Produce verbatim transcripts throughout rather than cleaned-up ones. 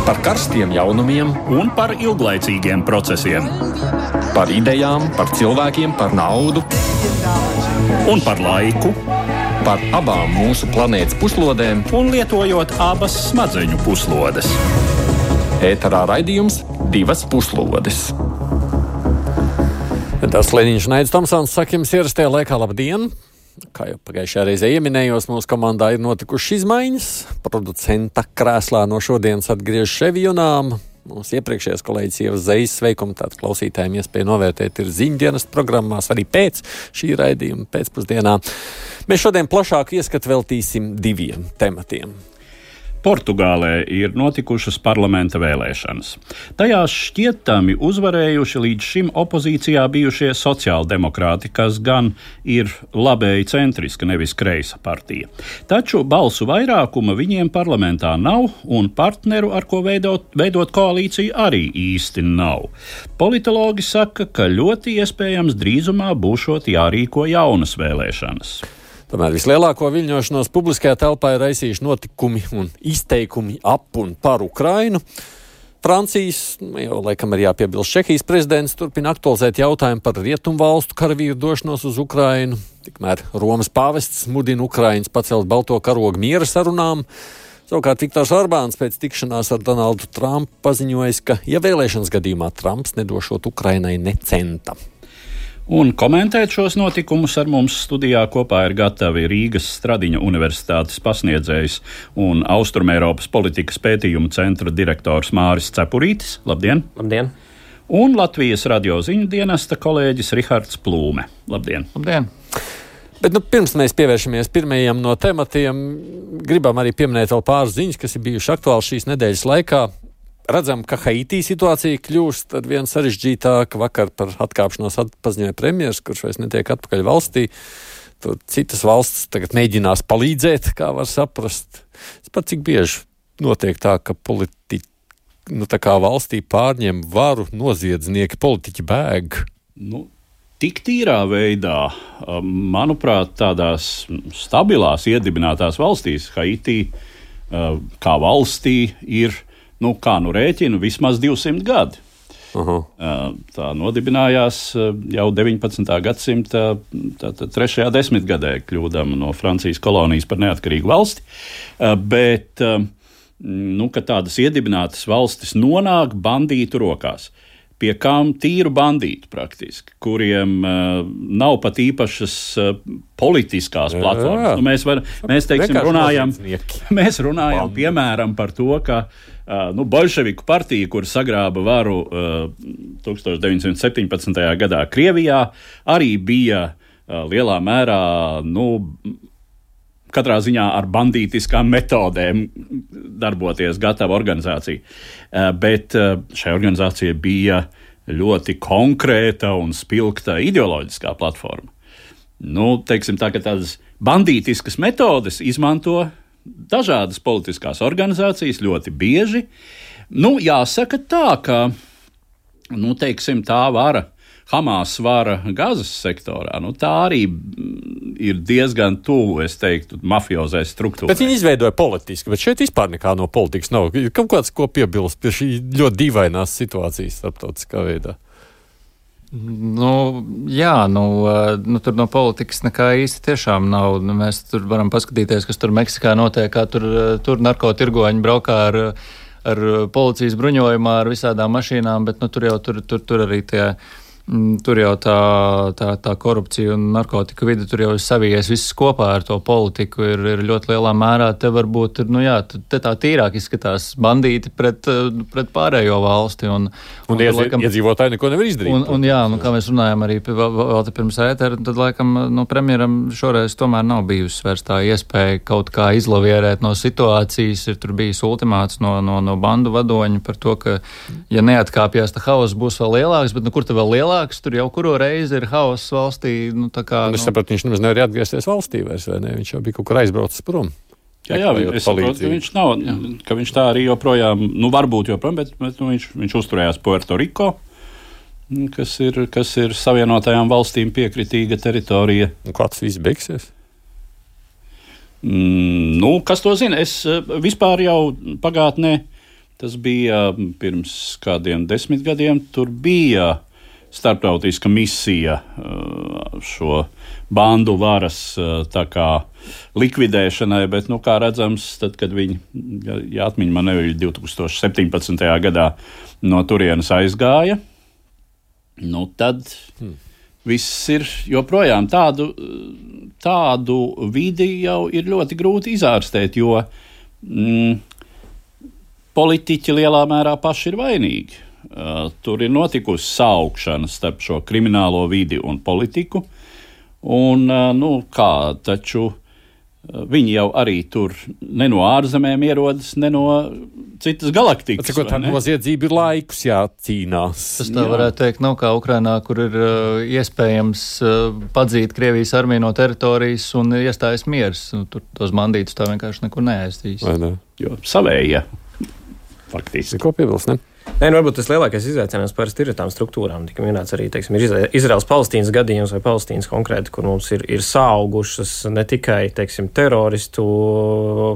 Par karstiem jaunumiem un par ilglaicīgiem procesiem. Par idejām, par cilvēkiem, par naudu. Un par laiku. Par abām mūsu planētas puslodēm. Un lietojot abas smadzeņu puslodes. Ēterā raidījums Divas puslodes. Tas Leniņš Naids Tomsons saka jums ierastajā laikā labdien! Kā jau pagājušajā reizē ieminējos, mūsu komandā ir notikušas izmaiņas. Producenta krēslā no šodienas atgriež Ševjunām. Mūsu iepriekšējais kolēģis Ievas Zejas sveikumu, tātad klausītājiem iespēja novērtēt ir ziņdienas programmās, arī pēc šī raidījuma pēcpusdienā. Mēs šodien plašāku ieskatu veltīsim diviem tematiem. Portugālē ir notikušas parlamenta vēlēšanas. Tajās šķietami uzvarējuši līdz šim opozīcijā bijušie sociāldemokrāti, kas gan ir labēji centriska, nevis kreisa partija. Taču balsu vairākuma viņiem parlamentā nav, un partneru, ar ko veidot, veidot koalīciju, arī īsti nav. Politologi saka, ka ļoti iespējams drīzumā būšot jārīko jaunas vēlēšanas. Tomēr vislielāko viļņošanos publiskajā telpā ir raisījuši notikumi un izteikumi ap un par Ukrainu. Francijas, jau laikam arī jāpiebilst, Čehijas prezidents turpina aktualizēt jautājumu par rietumvalstu karavīru došanos uz Ukrainu. Tikmēr Romas pāvests mudina Ukraiņus pacelt balto karogu miera sarunām. Savukārt Viktors Orbāns pēc tikšanās ar Donaldu Trumpu paziņojis, ka, ja vēlēšanas gadījumā Trumps nedošot Ukrainai ne centa. Un komentēt šos notikumus ar mums studijā kopā ir gatavi Rīgas Stradiņa universitātes pasniedzējs un Austrumēropas politikas pētījumu centra direktors Māris Cepurītis. Labdien! Labdien! Un Latvijas radio ziņu dienesta kolēģis Rihards Plūme. Labdien! Labdien! Bet nu, pirms mēs pievēršamies pirmajam no tematiem, gribam arī pieminēt vēl pāris ziņas, kas ir bijuši aktuāli šīs nedēļas laikā. Redzam, ka Haitī situācija kļūst ar vien sarežģītāka. Vakar par atkāpšanos paziņoja premjers, kurš vairs netiek atpakaļ valstī. Tur citas valstis tagad mēģinās palīdzēt, kā var saprast. Pat cik bieži notiek tā, ka politiķi, nu tā kā valstī pārņem varu noziedznieki, politiķi bēg? Nu, tik tīrā veidā, manuprāt, tādās stabilās iedibinātās valstīs, Haitī kā valstī ir, nu, kā nu rēķinu, vismaz divsimt gadi. Uh-huh. Tā nodibinājās jau deviņpadsmitā gadsimta trešajā desmitgadē, kļūdama no Francijas kolonijas par neatkarīgu valsti. Bet, nu, kad tādas iedibinātas valstis nonāk bandītu rokās, pie kām tīru bandītu praktiski, kuriem uh, nav pat īpašas uh, politiskās jā, platformas. Nu, mēs, var, mēs, teiksim, runājam, mēs runājam piemēram par to, ka uh, nu, Boļševiku partija, kur sagrāba varu uh, deviņdesmit deviņi septiņpadsmitajā gadā Krievijā, arī bija uh, lielā mērā, nu, katrā ziņā ar bandītiskām metodēm darboties gatava organizācija. Bet šai organizācijai bija ļoti konkrēta un spilgta ideoloģiskā platforma. Nu, teiksim tā, ka tādas bandītiskas metodes izmanto dažādas politiskās organizācijas ļoti bieži. Nu, jāsaka tā, ka, nu, teiksim, tā vara, Hamas vara Gazas sektorā, nu tā arī ir diezgan tuvu, es teiktu, mafiozai struktūrai. Bet viņi izveidoja politiski, bet šeit vispār nekā no politikas nav. Kaut kāds, ko piebilst pie šī ļoti dīvainās situācijas starptautiskā veidā? Nu, jā, nu, nu tur no politikas nekā īsti tiešām nav. Nu, mēs tur varam paskatīties, kas tur Meksikā notiek, kā tur, tur narkotirgoņi braukā ar, ar policijas bruņojumā, ar visādām mašīnām, bet nu, tur jau tur, tur, tur arī tie... Tur jau tā, tā, tā korupcija un narkotika vide, tur jau savijies viss kopā ar to politiku, ir, ir ļoti lielā mērā. Te varbūt ir, nu jā, te tā tīrāk izskatās bandīti pret, pret pārējo valsti. Un, un, un iedz, laikam, iedzīvotāji neko nevar izdarīt. Un, un jā, nu, kā mēs runājam arī vēl, vēl te pirms ētera, tad laikam no premjeram šoreiz tomēr nav bijusi vairs tā iespēja kaut kā izlavierēt no situācijas. Ir tur bijis ultimāts no, no, no bandu vadoņa par to, ka, ja neatkāpjās, tā haoss būs vēl lielāks, bet nu kur te vēl lielāks? Tur jau kuro reizi ir hauss valstī. Nu, tā kā, un es nu... sapratu, viņš nemaz nevar atgriezties valstī vairs, vai ne? Viņš jau bija kaut kur aizbraucis prom. Jā, jā, es saprotu, ka viņš nav, jā. ka viņš tā arī joprojām, nu varbūt joprojām, bet, bet nu, viņš, viņš uzturējās Puerto Rico, kas ir, kas ir Savienotajām valstīm piekritīga teritorija. Un kā tas viss beigsies? Mm, nu, kas to zina? Es vispār jau pagātnē Tas bija pirms kādiem desmit gadiem. Tur bija starptautiska misija šo bandu varas tā kā likvidēšanai, bet, nu, kā redzams, tad, kad viņi, ja atmiņa man neviļ, divi tūkstoši septiņpadsmitajā gadā no turienes aizgāja, nu, tad hmm. viss ir joprojām tādu, tādu vidi jau ir ļoti grūti izārstēt, jo mm, politiķi lielā mērā paši ir vainīgi. Uh, tur ir notikusi saukšana starp šo kriminālo vidi un politiku, un, uh, nu, kā, taču uh, viņi jau arī tur ne no ārzemēm ierodas, ne no citas galaktikas. Cikot, tā noziedzība ir laikus jācīnās. Tas tā varētu teikt, nav kā Ukrainā, kur ir uh, iespējams uh, padzīt Krievijas armiju no teritorijas un iestājas miers. Nu, tur tos bandītus tā vienkārši nekur neaizstīs. Vai ne? Jo savējie, faktiski. Ko piebilst, ne? Nē, nu, varbūt tas lielākais izaicinājums parasti ir tām struktūrām. Tika minēts arī, teiksim, ir Izraels-Palestīnas gadījums vai Palestīnas konkrēti, kur mums ir, ir saugušas ne tikai, teiksim, teroristu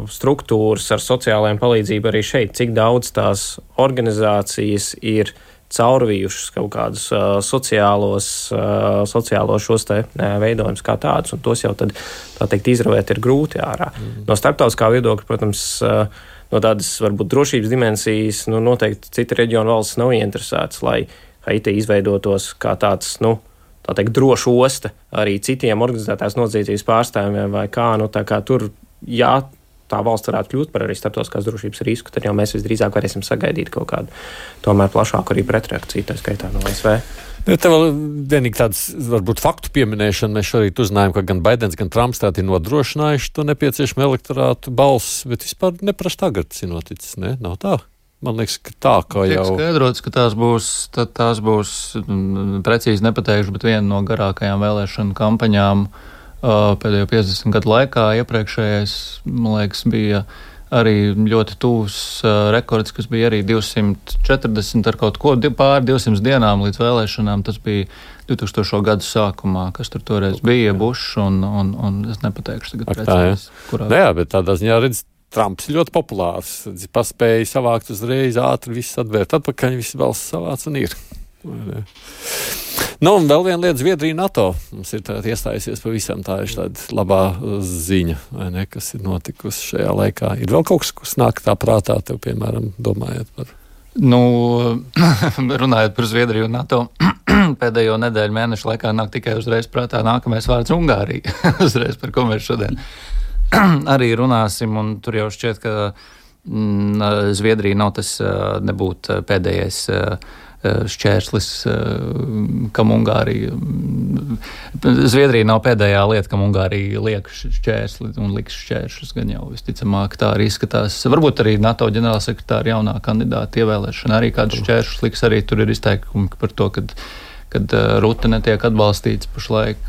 struktūras ar sociālajiem palīdzību arī šeit, cik daudz tās organizācijas ir caurvījušas kaut kādus uh, sociālos, uh, sociālos šos te uh, veidojumus kā tādus, un tos jau tad, tā teikt, izravēt ir grūti ārā. Mm. No starptautiskā viedokļa, protams, uh, no tādas, varbūt, drošības dimensijas, nu, noteikti cita reģiona valsts nav ieinteresētas, lai Haiti izveidotos kā tāds, nu, tā teikt, droša osta arī citiem organizētās noziedzības pārstāvjiem vai kā, nu, tā kā tur, jā, tā valsts varētu kļūt par arī starptautiskās drošības risku, tad jau mēs visdrīzāk varēsim sagaidīt kaut kādu tomēr plašāku arī pretreakciju, tā skaitā no A S V. Ja tev vēl vienīgi tāds, varbūt, faktu pieminēšana. Mēs šorīt uzzinājām, ka gan Baidens, gan Trumps tādi ir nodrošinājuši to nepieciešamo elektorātu balss, bet vispār nepraši tagad tas ir noticis, ne? Nav tā? Man liekas, ka tā, kā jau... Tiek skaidrots, ka tās būs, tās būs precīzi nepateikšu, bet viena no garākajām vēlēšanu kampaņām uh, pēdējo piecdesmit gadu laikā. Iepriekšējais, man liekas, bija arī ļoti tūs uh, rekords, kas bija arī divsimt četrdesmit ar kaut ko pār divsimt dienām līdz vēlēšanām. Tas bija divtūkstošo gadu sākumā, kas tur toreiz bija, Bušs, un, un, un es nepateikšu tagad Ak, precīzi. Tā, kurā... Jā, bet tādā ziņā, redz, Trumps ir ļoti populārs. Paspēja savākt uzreiz, ātri viss atvērt atpakaļ, viss balss savāc un ir. Nu, un vēl viena lieta, Zviedrija NATO. Mums ir tāda iestājusies pavisam, tā ir tāda labā ziņa, vai ne, kas ir notikusi šajā laikā. Ir vēl kaut kas, kas nāk tā prātā tev, piemēram, domājot par... Nu, runājot par Zviedriju un NATO, pēdējo nedēļu mēnešu laikā nāk tikai uzreiz prātā nākamais vārds Ungārija. Uzreiz, par ko mēs šodien arī runāsim, un tur jau šķiet, ka mm, Zviedrija nav tas nebūt pēdējais šķērslis, kam Ungārija. Zviedrija nav pēdējā lieta, kam Ungārija liek šķērsli un liks šķēršus, gan jau visticamāk tā arī izskatās. Varbūt arī NATO ģenerālsekretāra jaunā kandidāta ievēlēšana arī kādu šķēršus liks, arī tur ir izteikumi par to, kad, kad Rute netiek atbalstīts pašlaik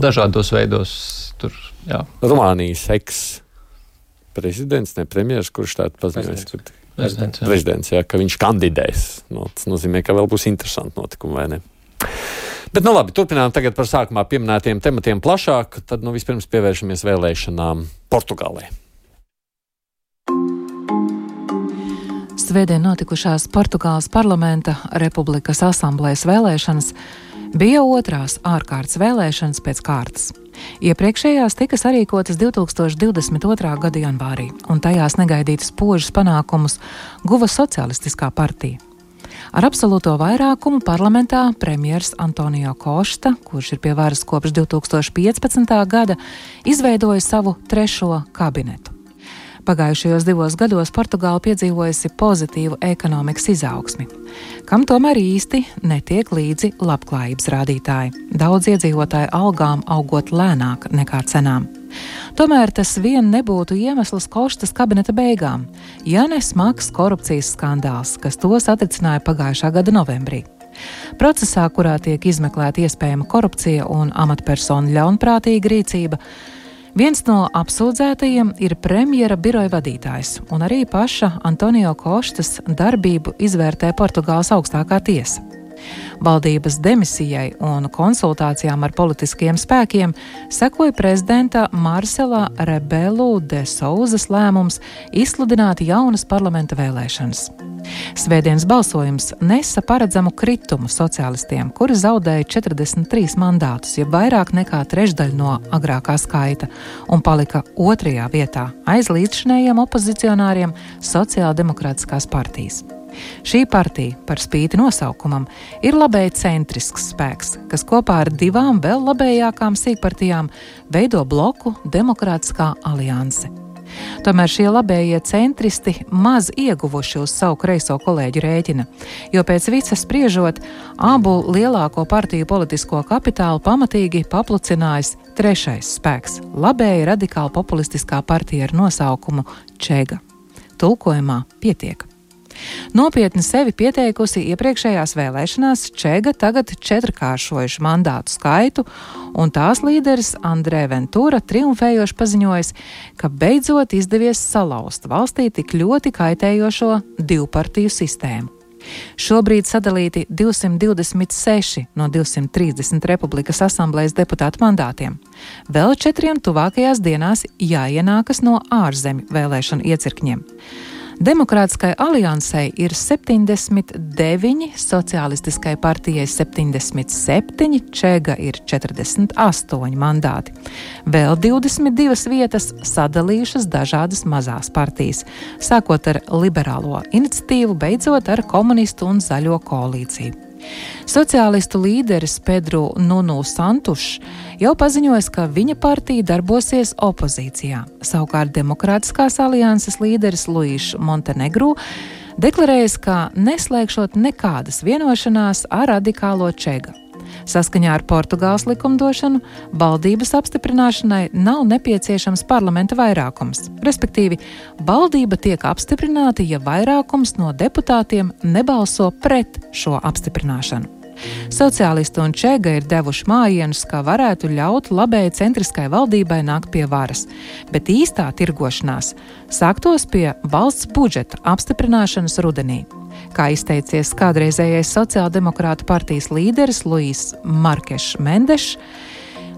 dažādos veidos. Tur, jā. Rumānijas eks-prezidents, ne premjeras, kurš tādu paziņojas, ka Prezidents, jā. Prezidents, jā, ka viņš kandidēs. No, tas nozīmē, ka vēl būs interesanti notikumi, vai ne? Bet, nu labi, turpinām tagad par sākumā pieminētiem tematiem plašāk, tad, nu, vispirms pievēršamies vēlēšanām Portugālē. Svētdien notikušās Portugāles parlamenta Republikas asamblējas vēlēšanas bija otrās ārkārtas vēlēšanas pēc kārtas. Iepriekšējās tika sarīkotas divtūkstoš divdesmit otrā gada janvārī, un tajās negaidītas spožus panākumus guva Socialistiskā partija. Ar absolūto vairākumu parlamentā premjers Antonio Kosta, kurš ir pie varas kopš divtūkstoš piecpadsmitā gada, izveidoja savu trešo kabinetu. Pagājušajos divos gados Portugāla piedzīvojusi pozitīvu ekonomikas izaugsmi, kam tomēr īsti netiek līdzi labklājības rādītāji, daudz iedzīvotāju algām augot lēnāk nekā cenām. Tomēr tas vien nebūtu iemesls Kostas kabineta beigām, ja ne smags korupcijas skandāls, kas to satricināja pagājušā gada novembrī. Procesā, kurā tiek izmeklēta iespējama korupcija un amatpersonu ļaunprātīga rīcība, viens no apsūdzētajiem ir premjera biroja vadītājs, un arī paša Antonio Kostas darbību izvērtē Portugāles augstākā tiesa. Valdības demisijai un konsultācijām ar politiskiem spēkiem sekoja prezidenta Marcela Rebelu de Souzas lēmums izsludināt jaunas parlamenta vēlēšanas. Svētdienas balsojums nesa paredzamu kritumu sociālistiem, kuri zaudēja četrdesmit trīs mandātus, ja vairāk nekā trešdaļu no agrākā skaita, un palika otrajā vietā aiz līdzšinējiem opozicionāriem Sociāldemokrātiskās partijas. Šī partija, par spīti nosaukumam, ir labēji centrisks spēks, kas kopā ar divām vēl labējākām sīkpartijām veido bloku Demokrātiskā alianse. Tomēr šie labējie centristi maz ieguvuši uz savu kreiso kolēģu rēķina, jo pēc visa spriežot, abu lielāko partiju politisko kapitālu pamatīgi paplucinājis trešais spēks – labēja radikāli populistiskā partija ar nosaukumu Čega. Tulkojumā pietiek. Nopietni sevi pieteikusi iepriekšējās vēlēšanās, Čega tagad četrkāršojuši mandātu skaitu, un tās līderis Andrē Ventura triumfējoši paziņojis, ka beidzot izdevies salauzt valstī tik ļoti kaitējošo divpartiju sistēmu. Šobrīd sadalīti divsimt divdesmit seši no divsimt trīsdesmit Republikas asamblejas deputātu mandātiem. Vēl četriem tuvākajās dienās jāienākas no ārzemju vēlēšanu iecirkņiem. Demokrātiskai aliansei ir septiņdesmit deviņi, Sociālistiskai partijai septiņdesmit septiņi, Čega ir četrdesmit astoņi mandāti. Vēl divdesmit divas vietas sadalījušas dažādas mazās partijas, sākot ar liberālo iniciatīvu, beidzot ar komunistu un zaļo koalīciju. Sociālistu līderis Pedro Nuno Santušs jau paziņojis, ka viņa partija darbosies opozīcijā. Savukārt Demokrātiskās alianses līderis Luīš Montenegru deklarējis, ka neslēgšot nekādas vienošanās ar radikālo Čega. Saskaņā ar Portugāles likumdošanu valdības apstiprināšanai nav nepieciešams parlamenta vairākums. Respektīvi, valdība tiek apstiprināta, ja vairākums no deputātiem nebalso pret šo apstiprināšanu. Sociālisti un Čega ir devuši mājienus, kā varētu ļaut labēji centriskai valdībai nākt pie varas, bet īstā tirgošanās sāktos pie valsts budžeta apstiprināšanas rudenī. Kā izteicies kādreizējais sociāldemokrātu partijas līderis Luís Markešs Mendešs,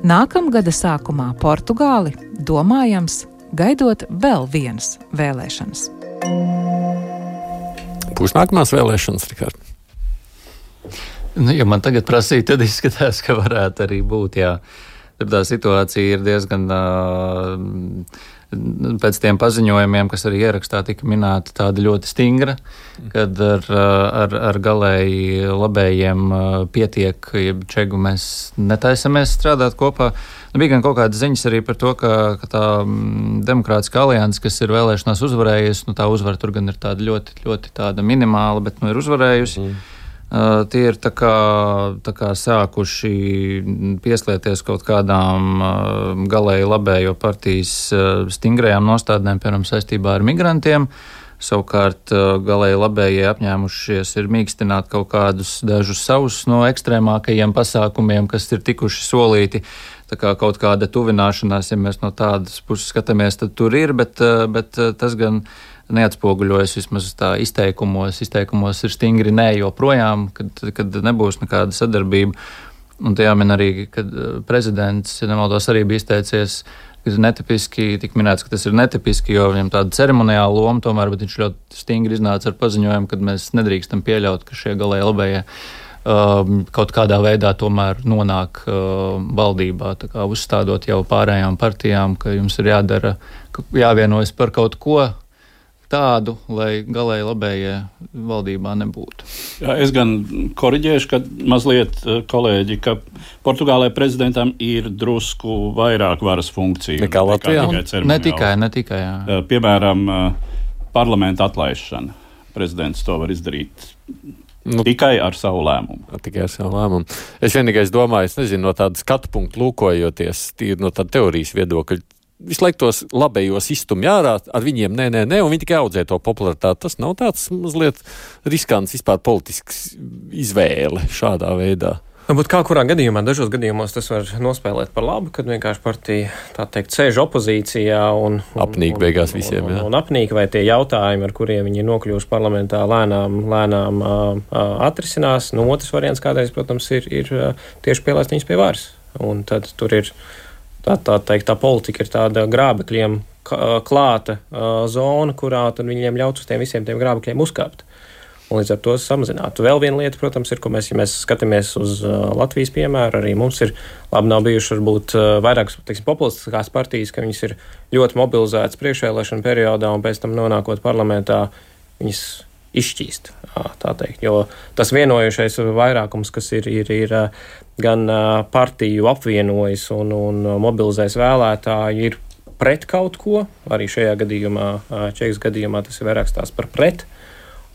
nākamgada sākumā Portugāli domājams gaidot vēl vienas vēlēšanas. Būs nākamās vēlēšanas, Rikard? Nu, ja man tagad prasīja, tad izskatās, ka varētu arī būt, jā. Tur tā situācija ir diezgan, pēc tiem paziņojumiem, kas arī ierakstā tika minēta, tāda ļoti stingra, kad ar, ar, ar galēji labējiem pietiek, ja Čegu mēs netaisamies strādāt kopā. Nu, bija gan kaut kādas ziņas arī par to, ka, ka tā Demokrātiskā alianse, kas ir vēlēšanās uzvarējusi, nu tā uzvara tur gan ir tāda ļoti, ļoti tāda minimāla, bet nu ir uzvarējusi. Mm. Uh, tie ir tā kā, tā kā sākuši pieslieties kaut kādām uh, galēji labējo partijas uh, stingrajām nostādnēm, piemēram, saistībā ar migrantiem. Savukārt uh, galēji labējie apņēmušies ir mīkstināt kaut kādus dažus savus no ekstrēmākajiem pasākumiem, kas ir tikuši solīti. Tā kā kaut kāda tuvināšanās, ja mēs no tādas puses skatāmies, tad tur ir, bet, uh, bet uh, tas gan neatspoguļojas vismaz tā izteikumos. Izteikumos ir stingri nē joprojām, kad, kad nebūs nekāda sadarbība. Un te jāmin arī, kad prezidents, ja nemaldos, arī bija izteicies, ka ir netipiski, tik minēts, ka tas ir netipiski, jo viņam tāda ceremoniāla loma tomēr, bet viņš ļoti stingri iznāca ar paziņojumu, kad mēs nedrīkstam pieļaut, ka šie galēji labējie uh, kaut kādā veidā tomēr nonāk uh, valdībā, tā kā uzstādot jau pārējām partijām, ka jums ir jādara, jāvienojas par kaut ko tādu, lai galēji labējie valdībā nebūtu. Jā, es gan koriģēšu, ka mazliet kolēģi, ka Portugālē prezidentam ir drusku vairāk varas funkciju. Nekā Latvijā? Ne tikai, ne tikai, jā. Piemēram, parlamenta atlaišana. Prezidents to var izdarīt nu, tikai ar savu lēmumu. Tikai ar savu lēmumu. Es vienīgais domāju, es nezinu, no tāda skatu punktu lūkojoties, tīri no tāda teorijas viedokļa, visu laiku tos labējos izstumj ārā, ar viņiem nē, nē, nē, un viņi tikai audzē to popularitāti. Tas nav tāds mazliet riskants vispār politisks izvēle šādā veidā. Varbūt kā kurā gadījumā, dažos gadījumos tas var nospēlēt par labu, kad vienkārši partija, tā teikt, sēž opozīcijā un... un apnīk beigās visiem, un, jā. Un, un apnīk, vai tie jautājumi, ar kuriem viņi ir nokļuvuši parlamentā, lēnām, lēnām uh, atrisinās. Nu, otrs variants kādreiz, protams, ir, ir uh, tieši pielaist viņus pie varas. Un tad tur ir, tā, tā teikt, tā politika ir tāda grābekļiem klāta uh, zona, kurā tad viņiem ļauts uz tiem visiem tiem grābekļiem uzkāpt. Un līdz ar to samazinātu. Vēl viena lieta, protams, ir, ko mēs, ja mēs skatāmies uz uh, Latvijas piemēru, arī mums ir labi nav bijuši varbūt uh, vairākas, teiksim, populistiskās partijas, ka viņas ir ļoti mobilizētas priekšvēlēšana periodā un pēc tam nonākot parlamentā, viņas izšķīst, tā teikt. Jo tas vienojušais vairākums, kas ir, ir, ir gan uh, partiju apvienojis un, un mobilizējis vēlētāji, ir pret kaut ko. Arī šajā gadījumā, uh, Čekas gadījumā, tas ir vairāk stāsts par pret.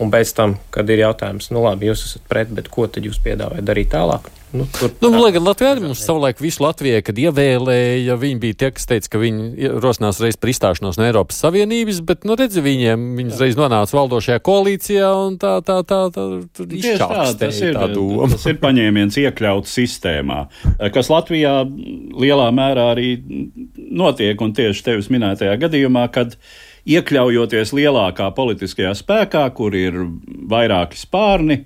Un pēc tam, kad ir jautājums, nu labi, jūs esat pret, bet ko tad jūs piedāvājat darīt tālāk? Nu, tur, nu, lai gan Latvijā arī mums savulaik visu Latvijai, kad ievēlēja, viņi bija tie, kas teica, ka viņi rosinās reiz par izstāšanos no Eiropas Savienības, bet, nu, redzi, viņiem, viņi reiz nonāca valdošajā koalīcijā un tā, tā, tā, tā, tur izšķākstēja tā doma. Tas ir paņēmiens iekļauts sistēmā, kas Latvijā lielā mērā arī notiek, un tieši tevis minētajā gadījumā, kad iekļaujoties lielākā politiskajā spēkā, kur ir vairāki spārni,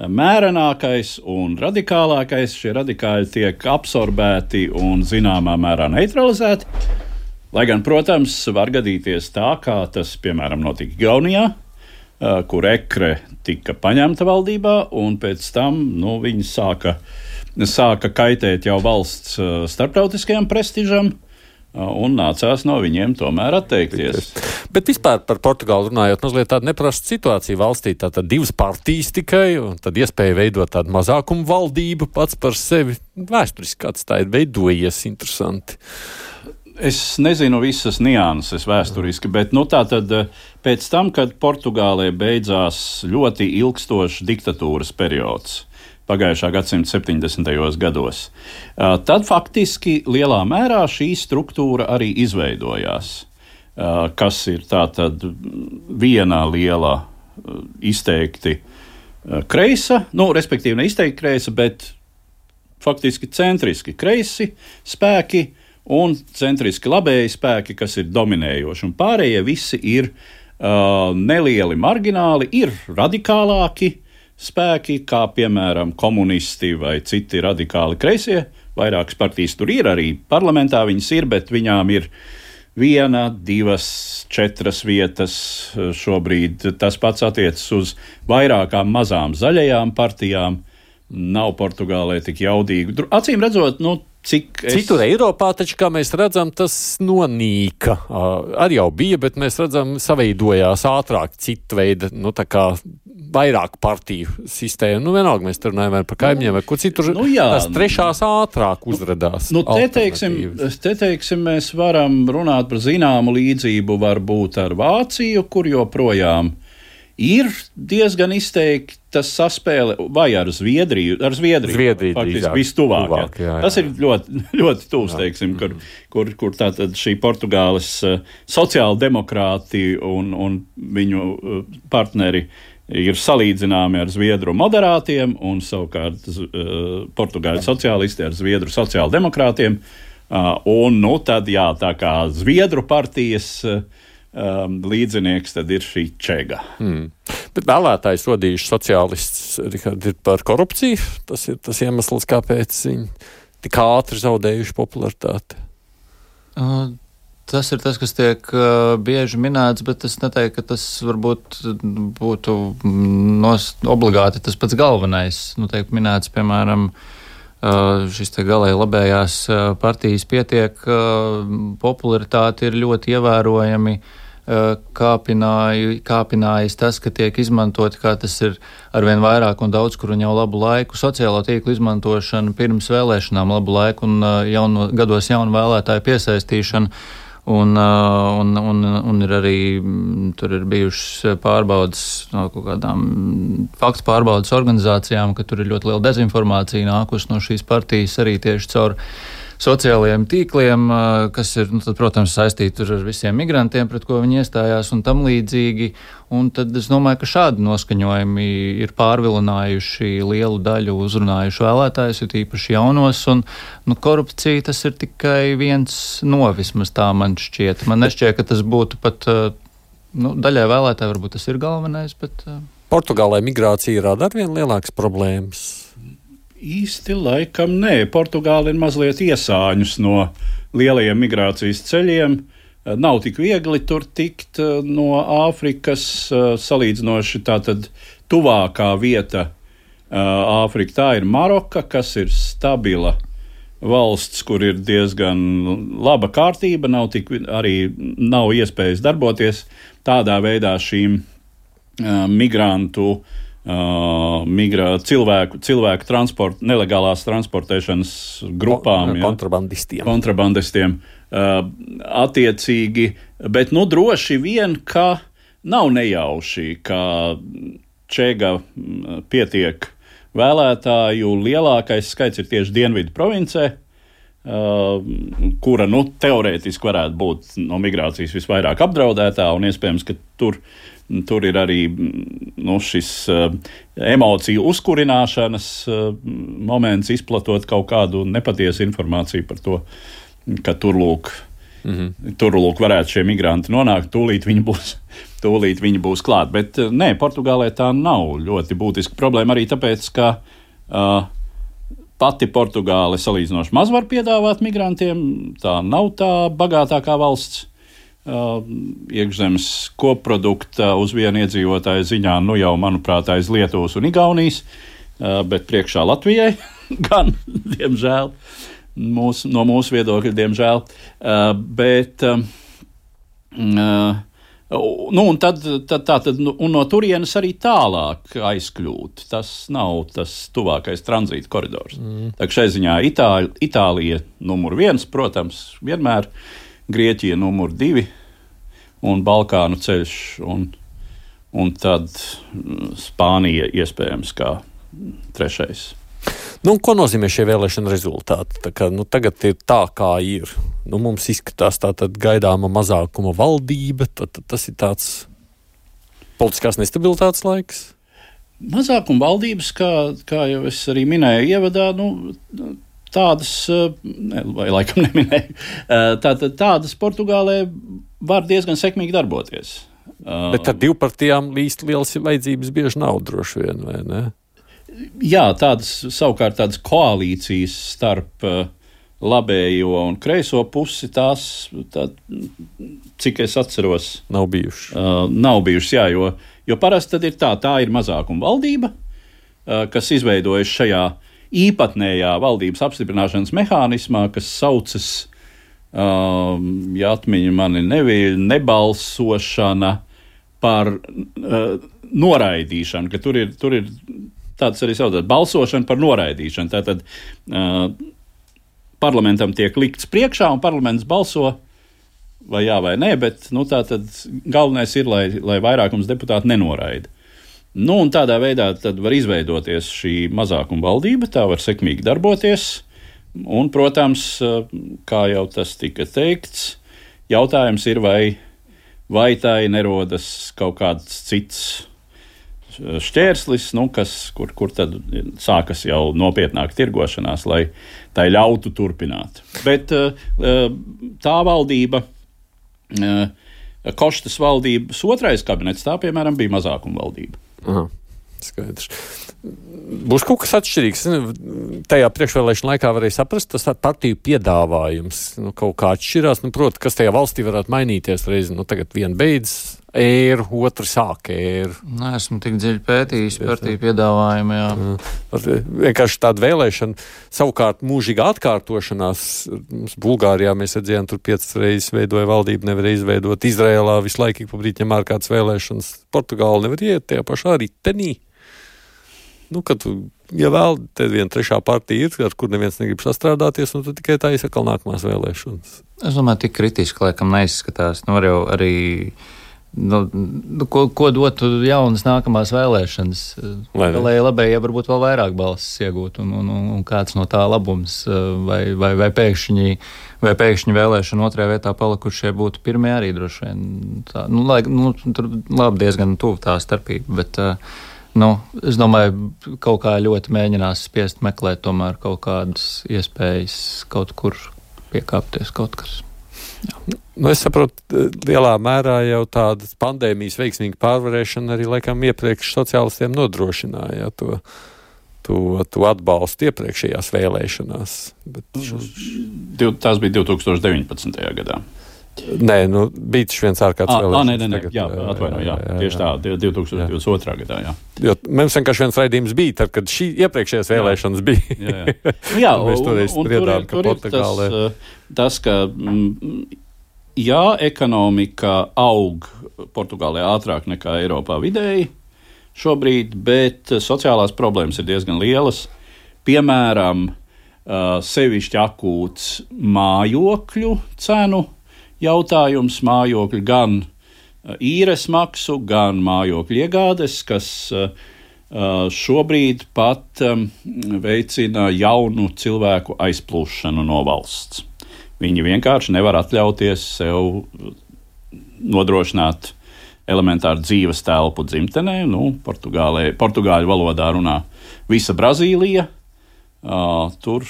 mērenākais un radikālākais, šie radikāļi tiek absorbēti un zināmā mērā neutralizēti. Lai gan, protams, var gadīties tā, kā tas, piemēram, notika Igaunijā, kur ekre tika paņemta valdībā, un pēc tam nu, viņi sāka, sāka kaitēt jau valsts starptautiskajam prestižam, un nācās no viņiem tomēr atteikties. Bet vispār par Portugālu runājot, mazliet tāda neprasta situācija valstī, tātad divas partijas tikai, un tad iespēja veidot tādu mazākumu valdību pats par sevi. Vēsturiski kāds tā ir veidojies, interesanti. Es nezinu visas nianses vēsturiski, bet nu tā tad pēc tam, kad Portugālē beidzās ļoti ilgstošs diktatūras periods, pagājušā gadsimta septiņdesmitajos gados. Tad faktiski lielā mērā šī struktūra arī izveidojās, kas ir tātad viena liela izteikti kreisa, nu, respektīvi ne izteikti kreisa, bet faktiski centriski kreisi spēki un centriski labēji spēki, kas ir dominējoši, un pārējie visi ir uh, nelieli margināli, ir radikālāki spēki, kā piemēram komunisti vai citi radikāli kreisie. Vairākas partijas tur ir, arī parlamentā viņas ir, bet viņām ir viena, divas, četras vietas šobrīd. Tas pats attiecas uz vairākām mazām zaļajām partijām. Nav Portugālē tik jaudīgi. Acīm redzot, nu, cik es... Citur Eiropā taču, kā mēs redzam, tas nonīka. Uh, arī jau bija, bet mēs redzam, saveidojās ātrāk citu veidu, nu, tā kā vairāk partiju sistēmu. Nu, vienalga, mēs tur runājam par kaimiņiem, vai kur citur. Nu, jā, tās trešās ātrāk uzradās. Nu, te, teiksim, te, teiksim, mēs varam runāt par zināmu līdzību varbūt ar Vāciju, kur joprojām ir diezgan izteikta saspēle, vai ar Zviedriju, ar Zviedriju, Zviedriju faktiski vistuvāk. Tuvāk, jā, jā. Tas ir ļoti, ļoti tūs, teiksim, kur, kur, kur tātad šī Portugāles uh, sociāldemokrāti un, un viņu uh, partneri ir salīdzināmi ar Zviedru moderātiem un savukārt uh, Portugāļu sociālisti ar Zviedru sociāldemokrātiem. Uh, un, nu, tad, jā, tā kā Zviedru partijas uh, Um, līdzinieks tad ir šī Čega. Hmm. Bet vēlētājs sodījuši sociālists, Rihard, ir par korupciju. Tas ir tas iemesls, kāpēc viņi tik ātri zaudējuši popularitāti. Uh, tas ir tas, kas tiek uh, bieži minēts, bet es neteiktu, ka tas varbūt būtu nos, obligāti tas pats galvenais. Nu, tiek minēts, piemēram, Uh, šis te galēji labējās uh, partijas pietiek, uh, popularitāte ir ļoti ievērojami uh, kāpināju, kāpinājis tas, ka tiek izmantoti, kā tas ir arvien vairāk un daudz, kur un jau labu laiku, sociālo tīklu izmantošana pirms vēlēšanām labu laiku un uh, jauno, gados jaunu vēlētāju piesaistīšana. Un, un, un, un ir arī tur ir bijušas pārbaudas no kaut kādām faktu pārbaudas organizācijām, ka tur ir ļoti liela dezinformācija nākusi no šīs partijas arī tieši caur sociālajiem tīkliem, kas ir, nu, tad, protams, saistīti ar visiem migrantiem, pret ko viņi iestājās un tam līdzīgi. Un tad es domāju, ka šādi noskaņojumi ir pārvilinājuši lielu daļu uzrunājušu vēlētājus, ir īpaši jaunos, un nu, korupcija tas ir tikai viens no, vismaz tā man šķiet. Man nešķiet, ka tas būtu pat, nu, daļai vēlētāji varbūt tas ir galvenais, bet... Portugālē migrācija rada arvien lielākas problēmas. Īsti laikam nē. Portugāla ir mazliet iesāņus no lielajiem migrācijas ceļiem. Nav tik viegli tur tikt no Āfrikas. Salīdzinoši tātad tuvākā vieta Āfrika tā ir Maroka, kas ir stabila valsts, kur ir diezgan laba kārtība, nav tik, arī nav iespējas darboties. Tādā veidā šīm Uh, migrantu, uh, migrā, cilvēku, cilvēku transport, nelegālās transportēšanas grupām, ja, kontrabandistiem. Ja, kontrabandistiem uh, attiecīgi, bet nu droši vien, ka nav nejauši, ka Čega pietiek vēlētāju, lielākais skaits ir tieši Dienvidu provincē, uh, kura nu teorētiski varētu būt no migrācijas visvairāk apdraudētā, un iespējams, ka tur Tur ir arī nu, šis uh, emociju uzkurināšanas uh, moments, izplatot kaut kādu nepatiesu informāciju par to, ka tur lūk, mm-hmm. tur lūk varētu šie migranti nonākt, tūlīt viņi būs, tūlīt viņi būs klāt. Bet uh, nē, Portugālē tā nav ļoti būtiska problēma arī tāpēc, ka uh, pati Portugāle salīdzinoši maz var piedāvāt migrantiem, tā nav tā bagātākā valsts. Uh, iekšzemes koprodukta uz vienu iedzīvotāju ziņā, nu jau, manuprāt, aiz Lietuvas un Igaunijas, uh, bet priekšā Latvijai gan, diemžēl, mūs, no mūsu viedokļa, diemžēl. Uh, bet, uh, nu, un tad, tad, tā, tad, nu, un no turienes arī tālāk aizkļūt. Tas nav tas tuvākais tranzīta koridors. Mm. Tā šai ziņā Itāļ, Itālija numur viens, protams, vienmēr. Grieķija numur divi un Balkānu ceļš, un, un tad Spānija iespējams kā trešais. Nu, ko nozīmē šie vēlēšana rezultāti? Tā kā, nu, tagad ir tā, kā ir. Nu, mums izskatās tātad gaidāma mazākuma valdība, tad, tad tas ir tāds politiskās nestabilitātes laiks. Mazākuma valdības, kā, kā jau es arī minēju ievadā, nu, tādas, ne, vai laikam neminēju, tātad tādas Portugālē var diezgan sekmīgi darboties. Bet ar divpartijām līst lielas vajadzības bieži nav droši vien, vai ne? Jā, tādas savukārt tādas koalīcijas starp labējo un kreiso pusi, tās, tā, cik es atceros, nav bijušas. Uh, nav bijušas, jā, jo, jo parasti tad ir tā, tā ir mazākuma valdība, uh, kas izveidojas šajā īpatnējā valdības apstiprināšanas mehānismā, kas saucas, um, ja atmiņa mani nevīļ, nebalsošana par uh, noraidīšanu, ka tur ir, tur ir tāds arī saucās balsošana par noraidīšanu. Tātad uh, parlamentam tiek likts priekšā un parlaments balso vai jā vai nē, bet nu, tātad galvenais ir, lai, lai vairākums deputāti nenoraida. Nu, un tādā veidā tad var izveidoties šī mazākuma valdība, tā var sekmīgi darboties, un, protams, kā jau tas tika teikts, jautājums ir, vai, vai tā nerodas kaut kāds cits šķērslis, nu, kas, kur, kur tad sākas jau nopietnāk tirgošanās, lai tai ļautu turpināt. Bet tā valdība, Koštas valdības otrais kabinets, tā, piemēram, bija mazākuma valdība. Aha, skaidrs. Būs kaut kas atšķirīgs. Tajā priekšvēlēšana laikā varēja saprast, tas partiju piedāvājums nu, kaut kā atšķirās. Nu, proti, kas tajā valstī varētu mainīties reizi. Nu, tagad viena beidz ēru, otra sāk ēru. Nē, esmu tik dziļi pētījis partiju piedāvājumu, jā. jā. Vienkārši tāda vēlēšana, savukārt mūžīga atkārtošanās. Bulgārijā mēs redzējām, tur piecas reizes veidoja valdību, nevarēja izveidot. Izrēlā visu laiku pa brīdi ņem ārkārtas vēlēšanas. Portugāla nevar iet tajā pašā ritenī. Nu, kad, ja vēl te viena trešā partija ir, ar kur neviens negrib sastrādāties, nu, tad tikai tā izsakal nākamās vēlēšanas. Es domāju, tik kritiski laikam neizskatās. Nu, var jau arī Nu, ko, ko dotu jaunas nākamās vēlēšanas? Lai, lai labējie varbūt vēl vairāk balsis iegūtu, un, un, un kāds no tā labums, vai, vai, vai, pēkšņi, vai pēkšņi vēlēšana otrajā vietā palikušie būtu pirmie arī droši vien. Tā, nu, lai, nu, tur labi diezgan tuvu tā starpība, bet nu, es domāju, kaut kā ļoti mēģinās spiest meklēt tomēr kaut kādas iespējas kaut kur piekāpties kaut kas. Jā. Nu, es saprotu, lielā mērā jau tādas pandēmijas veiksmīga pārvarēšana arī laikam iepriekš sociālistiem nodrošināja to, to, to atbalstu iepriekšējās vēlēšanās. Bet šo... Tās bija divi tūkstoši deviņpadsmitajā gadā. Nē, nu, bija tas viens ārkārtas vēlēšanas. Nē, nē, nē, tagad, jā, atvaino, jā, jā, tieši tā, divi tūkstoši divdesmit otrā gadā, jā. Jo mums vienkārši viens raidījums bija, tad, kad šī iepriekšējās vēlēšanas bija. Jā, jā. Nu, jā mēs toreiz spriedām, ka tur ir Portugālē... tas, tas, ka, jā, ekonomika aug Portugālē ātrāk nekā Eiropā vidēji šobrīd, bet sociālās problēmas ir diezgan lielas. Piemēram, sevišķi akūts mājokļu cenu jautājums, mājokļu gan īres maksu, gan mājokļu iegādes, kas šobrīd pat veicina jaunu cilvēku aizplūšanu no valsts. Viņi vienkārši nevar atļauties sev nodrošināt elementāru dzīves telpu dzimtenē. Nu, Portugālē, portugāļu valodā runā visa Brazīlija. Uh, tur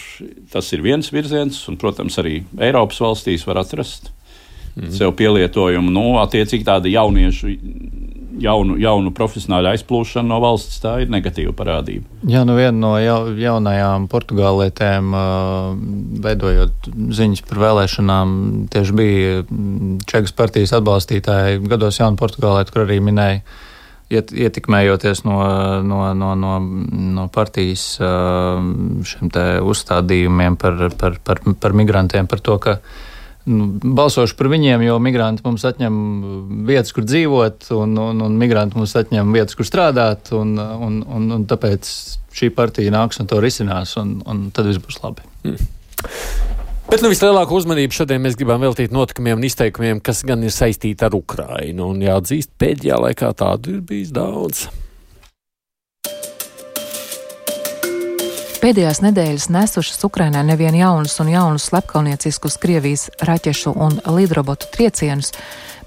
tas ir viens virziens, un, protams, arī Eiropas valstīs var atrast mm. sev pielietojumu. Nu, attiecīgi tāda jauniešu, jaunu, jaunu profesionāļu aizplūšana no valsts, tā ir negatīva parādība. Jā, nu viena no jau, jaunajām portugālietēm, uh, veidojot ziņas par vēlēšanām, tieši bija Čekas partijas atbalstītāji gados jaunu portugālieti, kur arī minēja, ietekmējoties no, no, no, no, no partijas šiem te uzstādījumiem par, par, par, par migrantiem, par to, ka nu, balsošu par viņiem, jo migranti mums atņem vietas, kur dzīvot, un, un, un migranti mums atņem vietas, kur strādāt, un, un, un, un tāpēc šī partija nāks un to risinās, un, un tad viss būs labi. Mm. Bet nu, vislielāko uzmanību šodien mēs gribam veltīt notikumiem un izteikumiem, kas gan ir saistīti ar Ukrainu. Un jāatzīst, pēdējā laikā tādu ir bijis daudz. Pēdējās nedēļas nesušas Ukrainai nevien jaunus un jaunus slepkavnieciskus Krievijas raķešu un lidrobotu triecienus,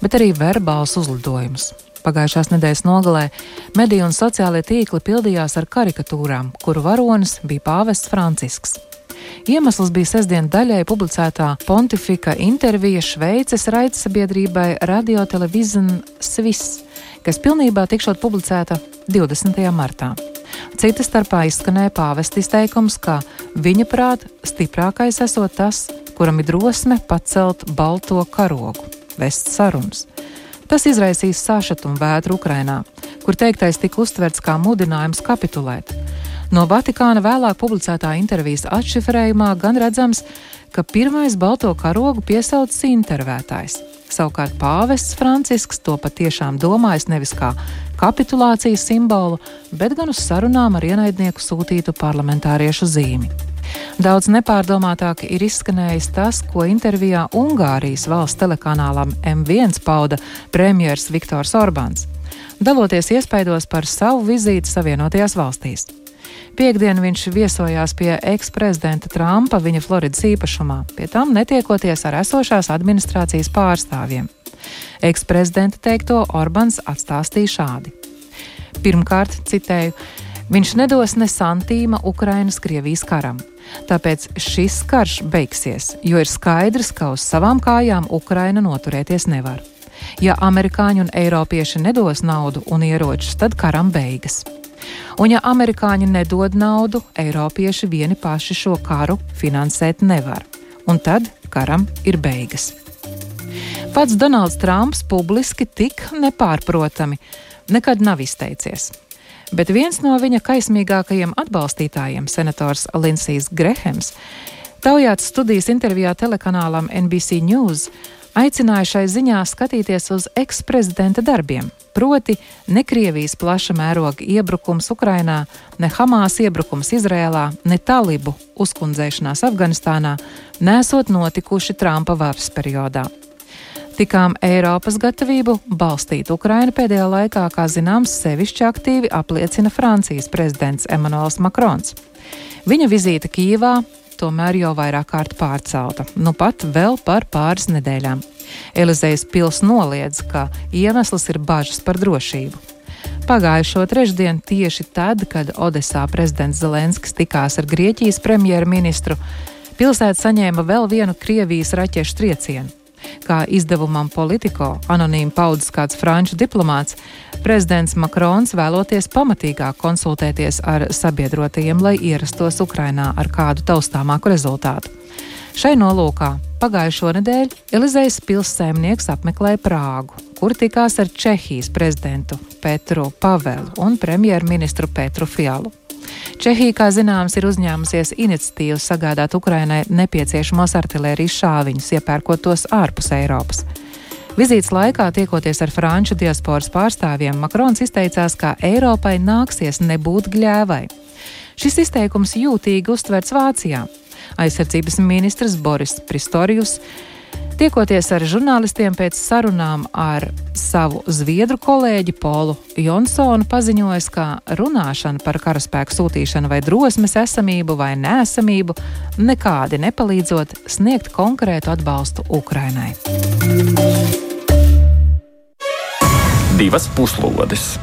bet arī verbālus uzlidojumus. Pagājušās nedēļas nogalē mediju un sociālie tīkli pildījās ar karikatūrām, kuru varonis bija pāvests Francisks. Iemesls bija sestdien daļai publicētā pontifika intervija Šveices raidsabiedrībai Radio Television Swiss, kas pilnībā tikšot publicēta divdesmitajā martā. Cita starpā izskanēja pāvesta izteikums, ka viņa prāt stiprākais esot tas, kuram ir drosme pacelt balto karogu, vest sarunas. Tas izraisīs sašutumu vētru Ukrainā, kur teiktais tika uztverts kā mudinājums kapitulēt. No Vatikāna vēlāk publicētā intervijas atšifrējumā gan redzams, ka pirmais balto karogu piesaucis intervētājs. Savukārt pāvests Francisks to patiešām domājis nevis kā kapitulācijas simbolu, bet gan uz sarunām ar ienaidnieku sūtītu parlamentāriešu zīmi. Daudz nepārdomātāk ir izskanējis tas, ko intervijā Ungārijas valsts telekanālam M viens pauda premjers Viktors Orbāns, daloties iespaidos par savu vizīti Savienotajās valstīs. Piektdien viņš viesojās pie eksprezidenta Trumpa viņa Floridas īpašumā, pie tam netiekoties ar esošās administrācijas pārstāvjiem. Eksprezidenta teikto Orbāns atstāstīja šādi. Pirmkārt, citēju, viņš nedos ne santīma Ukrainas Krievijas karam. Tāpēc šis karš beigsies, jo ir skaidrs, ka uz savām kājām Ukraina noturēties nevar. Ja amerikāņi un eiropieši nedos naudu un ieročus, tad karam beigas. Un ja amerikāņi nedod naudu, eiropieši vieni paši šo karu finansēt nevar. Un tad karam ir beigas. Pats Donalds Trumps publiski tik nepārprotami nekad nav izteicies. Bet viens no viņa kaismīgākajiem atbalstītājiem, senators Lindsijs Grehems, taujāts studijas intervijā telekanālam N B C News, aicināja šai ziņā skatīties uz eksprezidenta darbiem, proti ne Krievijas plaša mēroga iebrukums Ukrainā, ne Hamās iebrukums Izrēlā, ne talibu uzkundzēšanās Afganistānā nesot notikuši Trumpa varas periodā. Tikām Eiropas gatavību balstīt Ukrainu pēdējā laikā, kā zināms, sevišķi aktīvi apliecina Francijas prezidents Emmanuels Macrons. Viņa vizīte Kijevā tomēr jau vairāk kārt pārcelta, nu pat vēl par pāris nedēļām. Elizejas pils noliedz, ka iemesls ir bažas par drošību. Pagājušo trešdienu tieši tad, kad Odesā prezidents Zelenskis tikās ar Grieķijas premjerministru, pilsēta saņēma vēl vienu Krievijas raķešu triecienu. Kā izdevumam Politico anonīmi paudzis kāds franču diplomāts, prezidents Macrons vēloties pamatīgāk konsultēties ar sabiedrotajiem, lai ierastos Ukrainā ar kādu taustāmāku rezultātu. Šai nolūkā pagājušo nedēļu Elizejas pilssaimnieks apmeklēja Prāgu, kur tikās ar Čehijas prezidentu Petru Pavelu un premjerministru Petru Fialu. Čehija, kā zināms, ir uzņēmusies iniciatīvu sagādāt Ukrainai nepieciešamos artilērijas šāviņus, iepērkot tos ārpus Eiropas. Vizītes laikā, tiekoties ar franču diasporas pārstāvjiem, Macrons izteicās, ka Eiropai nāksies nebūt gļēvai. Šis izteikums jūtīgi uztverts Vācijā. Aizsardzības ministrs Boris Pistorius, tiekoties ar žurnālistiem pēc sarunām ar savu zviedru kolēģi Polu Jonsonu, paziņojas, ka runāšana par karaspēku sūtīšanu vai drosmes esamību vai neesamību nekādi nepalīdzot sniegt konkrētu atbalstu Ukrainai. Divas puslodes.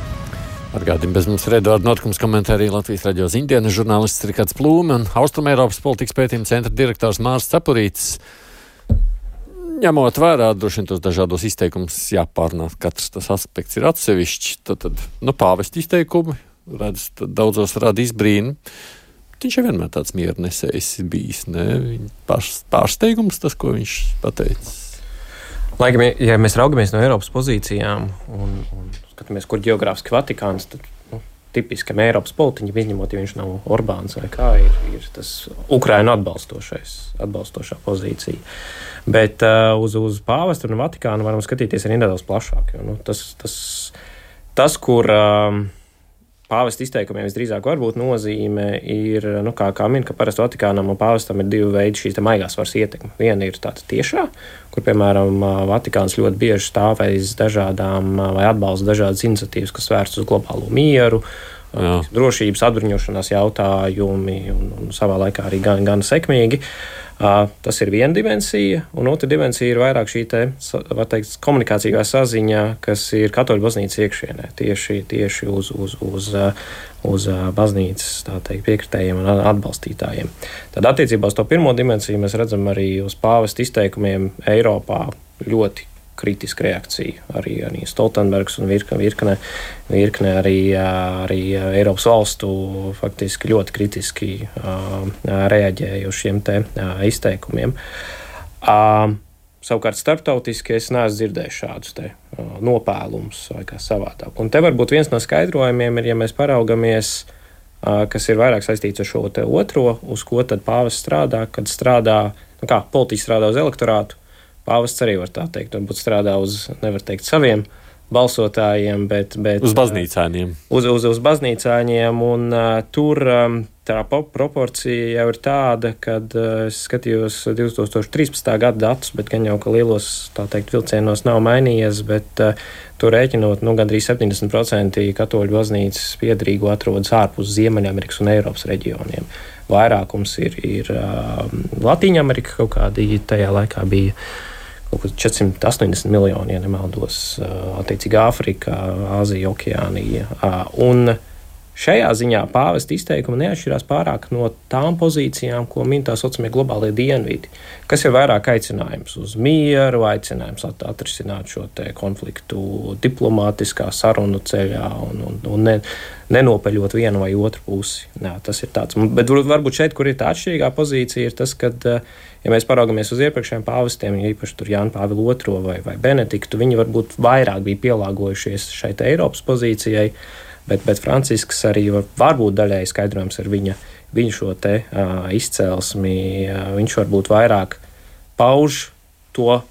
Atgādījumi bez mums ir Eduarda Notikums komentārī Latvijas radio ziņdienas žurnālists Rikards Plūme un Austrumēropas politikas pētījuma centra direktors Mārs Cepurītis. Ņemot vērā droši vien tos dažādos izteikumus, jāpārnā, katrs tas aspekts ir atsevišķi, tad, tad nu, pāvesta izteikumi, redz, daudzos rada izbrīnu. Viņš jau vienmēr tāds miernesējs bijis, ne? Pārs, pārsteigums tas, ko viņš pateicis. Laikam, ja mēs raugamies no Eiropas pozīcijām un, un skatāmies, kur ģeogrāfiski Vatikāns, tad nu, tipiskam Eiropas politiķim, izņemot, ja viņš nav Orbāns vai kā, ir, ir tas Ukrainu atbalstošais, atbalstošā pozīcija. Bet uh, uz, uz pāvestu un Vatikānu varam skatīties arī nedaudz plašāk. Jo, nu, tas, tas, tas, kur uh, pāvesta izteikumiem visdrīzāk var būt nozīme, ir, nu, kā, kā min, ka parasti Vatikānam un pāvestam ir divi veidi šīs maigās varas ietekme. Viena ir tāda tiešā, kur, piemēram, Vatikāns ļoti bieži stāv aiz dažādām vai atbalsta dažādas iniciatīvas, kas vērsts uz globālo mieru, Jā. drošības atbruņošanās jautājumi un, un savā laikā arī gan, gan sekmīgi. Uh, tas ir viena dimensija, un otra dimensija ir vairāk šī te, var teikt, komunikācijā saziņa, kas ir katoļu baznīcas iekšienē, tieši, tieši uz, uz, uz, uz baznīcas, tā teikt, piekritējiem un atbalstītājiem. Tad attiecībā uz to pirmo dimensiju mēs redzam arī uz pāvesta izteikumiem Eiropā ļoti kritiska reakcija. Arī, arī Stoltenbergs un virkne, virkne, virkne arī, arī Eiropas valstu faktiski ļoti kritiski uh, reaģēja uz šiem te uh, izteikumiem. Uh, savukārt starptautiski es neesmu dzirdējis šādus te uh, nopēlumus vai kā savādāk. Un te varbūt viens no skaidrojumiem ir, ja mēs paraugamies, uh, kas ir vairāk saistīts ar šo te otro, uz ko tad pāvests strādā, kad strādā, nu kā, politiķi strādā uz elektorātu. Pāvests arī var tā teikt, varbūt strādā uz, nevar teikt, saviem balsotājiem, bet... bet uz baznīcāņiem. Uz, uz, uz baznīcāņiem, un uh, tur um, tā proporcija jau ir tāda, kad uh, es skatījos divi tūkstoši trīspadsmitā gada datus, bet gan jau, ka lielos, tā teikt, vilcienos nav mainījies, bet uh, tur rēķinot, nu, gandrīz septiņdesmit procenti katoļu baznīcas piederīgo atrodas ārpus Ziemeļamerikas un Eiropas reģioniem. Vairākums ir, ir uh, Latīņamerika, kaut kādi tajā laikā bija četrsimt astoņdesmit miljoni, ja nemaldos, attiecīgi Āfrika, Āzija, Okeānija. Un šajā ziņā pāvesta izteikumi neatšķirās pārāk no tām pozīcijām, ko min tā saucamie globālie dienvidi, kas ir vairāk aicinājums uz mieru, aicinājums atrisināt šo te konfliktu diplomātiskā sarunu ceļā un, un, un ne, nenopeļot vienu vai otru pusi. Jā, tas ir tāds. Bet varbūt šeit, kur ir tā atšķirīgā pozīcija, ir tas, kad ja mēs paraugamies uz iepriekšējiem pāvestiem, ja īpaši tur Jānu Pāvilu otro vai, vai Benediktu, viņi varbūt vairāk bija pielāgojušies šeit Eiropas pozīcijai, bet, bet Francisks arī var, varbūt daļēji skaidrojums ar viņa, viņa šo te uh, izcelsmi, uh, viņš varbūt vairāk pauž to,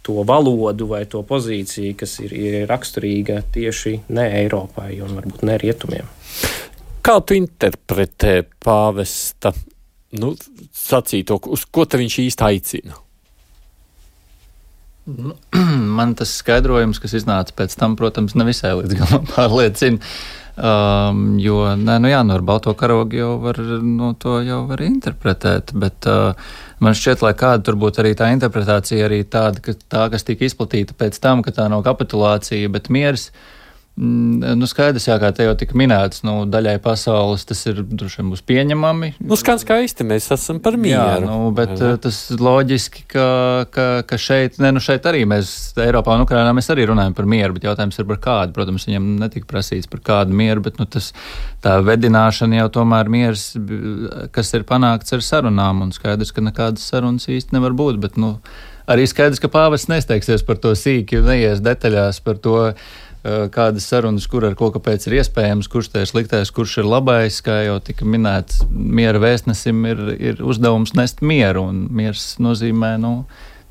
to valodu vai to pozīciju, kas ir, ir raksturīga tieši ne Eiropai un varbūt ne rietumiem. Kā tu interpretē pāvesta nu, sacīto, uz ko te viņš īsti aicina? Nu, man tas skaidrojums, kas iznāca pēc tam, protams, nevisai līdz galam pārliecina. Um, jo, nē, nu jā, nu ar balto karogu jau var, nu, to jau var interpretēt, bet uh, man šķiet, lai kāda tur būtu arī tā interpretācija, arī tāda, ka tā, kas tika izplatīta pēc tam, ka tā nav kapitulācija, bet miers. Nu, skaidrs, jā, kā te jau tika minēts, nu, daļai pasaules tas ir droši vien būs pieņemami. Nu, skan skaisti, mēs esam par mieru. Jā, nu, bet jā. Tas loģiski, ka, ka, ka šeit, ne, nu, šeit arī mēs, Eiropā un Ukrainā mēs arī runājam par mieru, bet jautājums ir par kādu. Protams, viņam netika prasīts par kādu mieru, bet, nu, tas, tā vedināšana jau tomēr miers, kas ir panākts ar sarunām, un skaidrs, ka nekādas sarunas īsti nevar būt, bet, nu, arī skaidrs, ka pāvests nesteigsies par to sīki un neies detaļās par to, kādas sarunas, kur ar ko kāpēc ir iespējams, kurš te ir sliktais, kurš ir labais, kā jau tika minēts, miera vēstnesim ir, ir uzdevums nest mieru, un miers nozīmē, nu,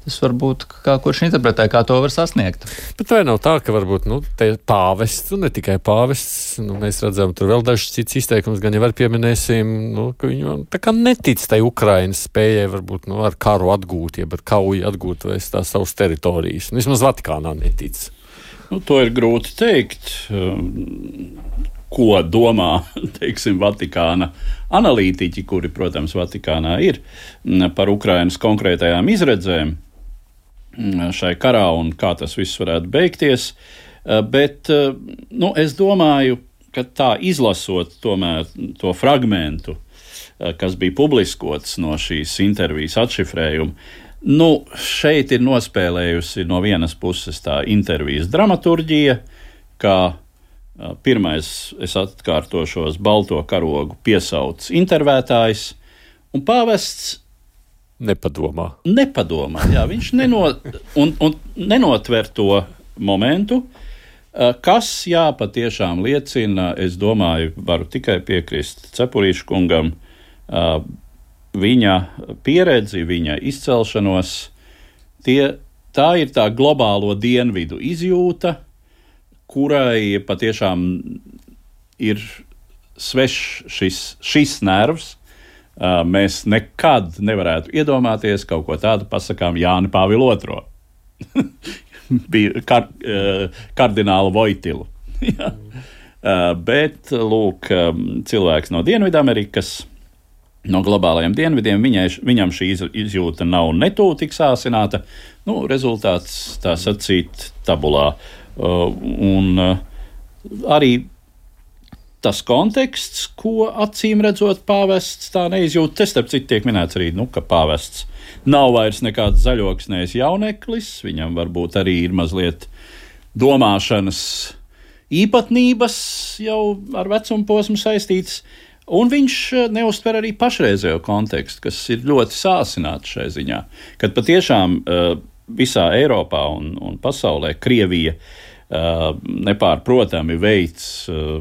tas varbūt kā kurš interpretē, kā to var sasniegt. Bet vai nav tā, ka varbūt, nu, te pāvests, un ne tikai pāvests, nu, mēs redzam, tur vēl dažs cits izteikums, gan jau var pieminēsim, nu, ka viņi tā kā netic tai Ukrainas spējai, varbūt, nu, ar karu atgūt, jeb ar kauju atgūt vai tās savas teritorijas. Nu, vismaz Vatikānā netic. Nu, to ir grūti teikt, ko domā, teiksim, Vatikāna analītiķi, kuri, protams, Vatikānā ir, par Ukrainas konkrētajām izredzēm šai karā un kā tas viss varētu beigties. Bet, nu, es domāju, ka tā izlasot tomēr to fragmentu, kas bija publiskots no šīs intervijas atšifrējuma, nu, šeit ir nospēlējusi no vienas puses tā intervijas dramaturģija, kā pirmais, es atkārtošos, balto karogu piesauc intervētājs, un pāvests nepadomā. Nepadomā, jā, viņš neno, un, un nenotver to momentu, kas, jā, patiešām liecina, es domāju, varu tikai piekrist Cepurīša kungam, viņa pieredzi, viņa izcelšanos, tie, tā ir tā globālo dienvidu izjūta, kurai patiešām ir svešs šis, šis nervs. Mēs nekad nevarētu iedomāties kaut ko tādu pasakām Jāni Pāvilu otro. Bija kar, kardinālu Vojtilu. Bet, lūk, cilvēks no Dienvidamerikas, no globālajiem dienvidiem, viņai, viņam šī izjūta nav netū tik sāsināta. Nu, rezultāts, tā sacīt, tabulā. Uh, un uh, arī tas konteksts, ko acīm redzot pāvests tā neizjūt, te starp citu tiek minēts arī, nu, ka pāvests nav vairs nekāds zaļoksnējs jauneklis, viņam varbūt arī ir mazliet domāšanas īpatnības jau ar vecumu posmu saistītas. Un viņš neuztver arī pašreizējo kontekstu, kas ir ļoti sāsināts šai ziņā, kad patiešām uh, visā Eiropā un, un pasaulē Krievija uh, nepārprotami veic uh,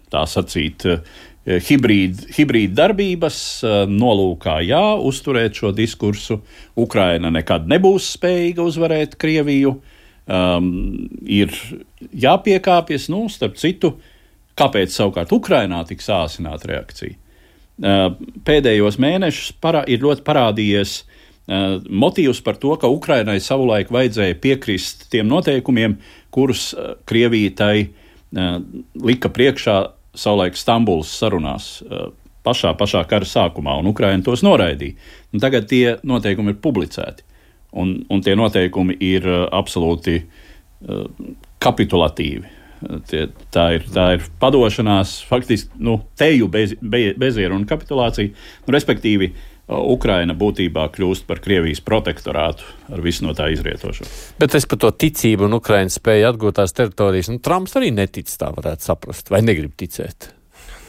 tā sacīt uh, hibrīd, hibrīd darbības, uh, nolūkā jā, uzturēt šo diskursu. Ukraina nekad nebūs spējīga uzvarēt Krieviju, um, ir jāpiekāpjas, nu, starp citu, kāpēc savukārt Ukrainā tik sāsināta reakcija? Pēdējos mēnešus parā, ir ļoti parādījies uh, motīvs par to, ka Ukrainai savulaik vajadzēja piekrist tiem noteikumiem, kurus uh, Krievija tai uh, lika priekšā savulaik Stambulas sarunās uh, pašā, pašā kara sākumā, un Ukraina tos noraidīja. Un tagad tie noteikumi ir publicēti, un, un tie noteikumi ir uh, absolūti uh, kapitulatīvi. Tie, tā, ir, tā ir padošanās, faktiski nu, teju bez, be, bezieru un kapitulāciju. Nu, respektīvi, Ukraina būtībā kļūst par Krievijas protektorātu ar visu no tā izrietošo. Bet es par to ticību un Ukrainas spēju atgūt tās teritorijas, nu, Trumps arī netic, tā varētu saprast, vai negrib ticēt.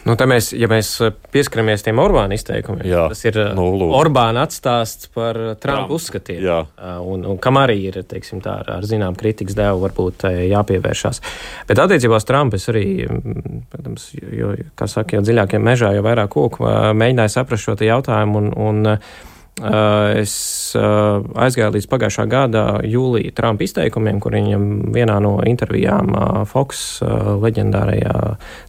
Nu, mēs, ja mēs pieskaramies tiem Orbāna izteikumiem, jā, tas ir nu, Orbāna atstāsts par Trumpa uzskatiem. Jā. Un, un kam arī ir, teiksim, tā, ar, ar zinām kritikas devu varbūt jāpievēršās. Bet attiecībā uz Trumpu es arī, protams, jo, kā saka, jau dziļākiem mežā, jau vairāk koku, mēģināju saprast šo te jautājumu un, un Es aizgāju līdz pagājušā gada jūlija Trumpa izteikumiem, kur viņam vienā no intervijām Fox leģendārajā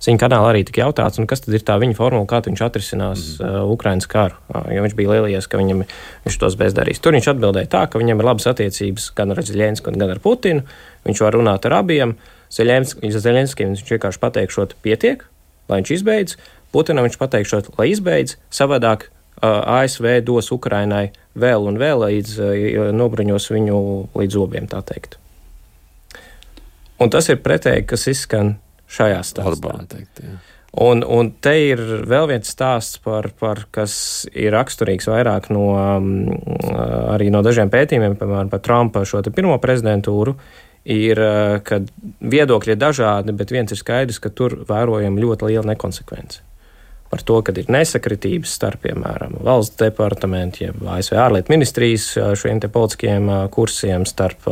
ziņu kanālā arī tika jautāts, un kas tad ir tā viņa formula, kā viņš atrisinās mm. Ukrainas karu, jo viņš bija lielījies, ka viņam, viņš tos bezdarīs. Tur viņš atbildēja tā, ka viņam ir labas attiecības gan ar Zeļenski, gan ar Putinu, viņš var runāt ar abiem, Zeļenskim viņš vienkārši pateikšot pietiek, lai viņš izbeidz, Putinam viņš pateikšot, lai izbeidz, savādāk A S V dos Ukrainai vēl un vēl, līdz nobruņos viņu līdz zobiem, tā teikt. Un tas ir pretēji, kas izskan šajā stāstā. Teikt, un, un te ir vēl viens stāsts, par, par, kas ir raksturīgs vairāk no, arī no dažiem pētījumiem, piemēram, par Trumpa šo te pirmo prezidentūru, ir, ka viedokļi ir dažādi, bet viens ir skaidrs, ka tur vērojam ļoti liela nekonsekvence. Par to, ka ir nesakritības starp, piemēram, valsts departamentu, jeb A S V ārlietu ministrijas šiem te politiskiem kursiem, starp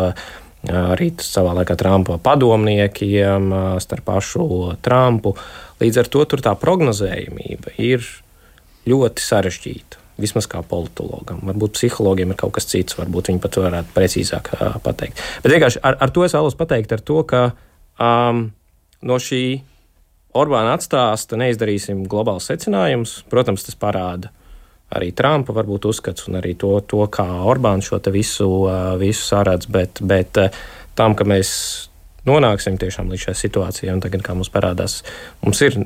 arī savā laikā Trumpa padomniekiem, starp pašu Trumpu. Līdz ar to tur tā prognozējumība ir ļoti sarežģīta, vismaz kā politologam. Varbūt psihologiem ir kaut kas cits, varbūt viņi pat varētu precīzāk pateikt. Bet vienkārši ar, ar to es vēlos pateikt, ar to, ka um, no šī Orbāna atstāsta neizdarīsim globāls secinājums. Protams, tas parāda arī Trumpa varbūt uzskats un arī to, to kā Orbāns šo te visu, visu saredz, bet, bet tam, ka mēs nonāksim tiešām līdz šai situācijai, un tagad, kā mums parādās, mums ir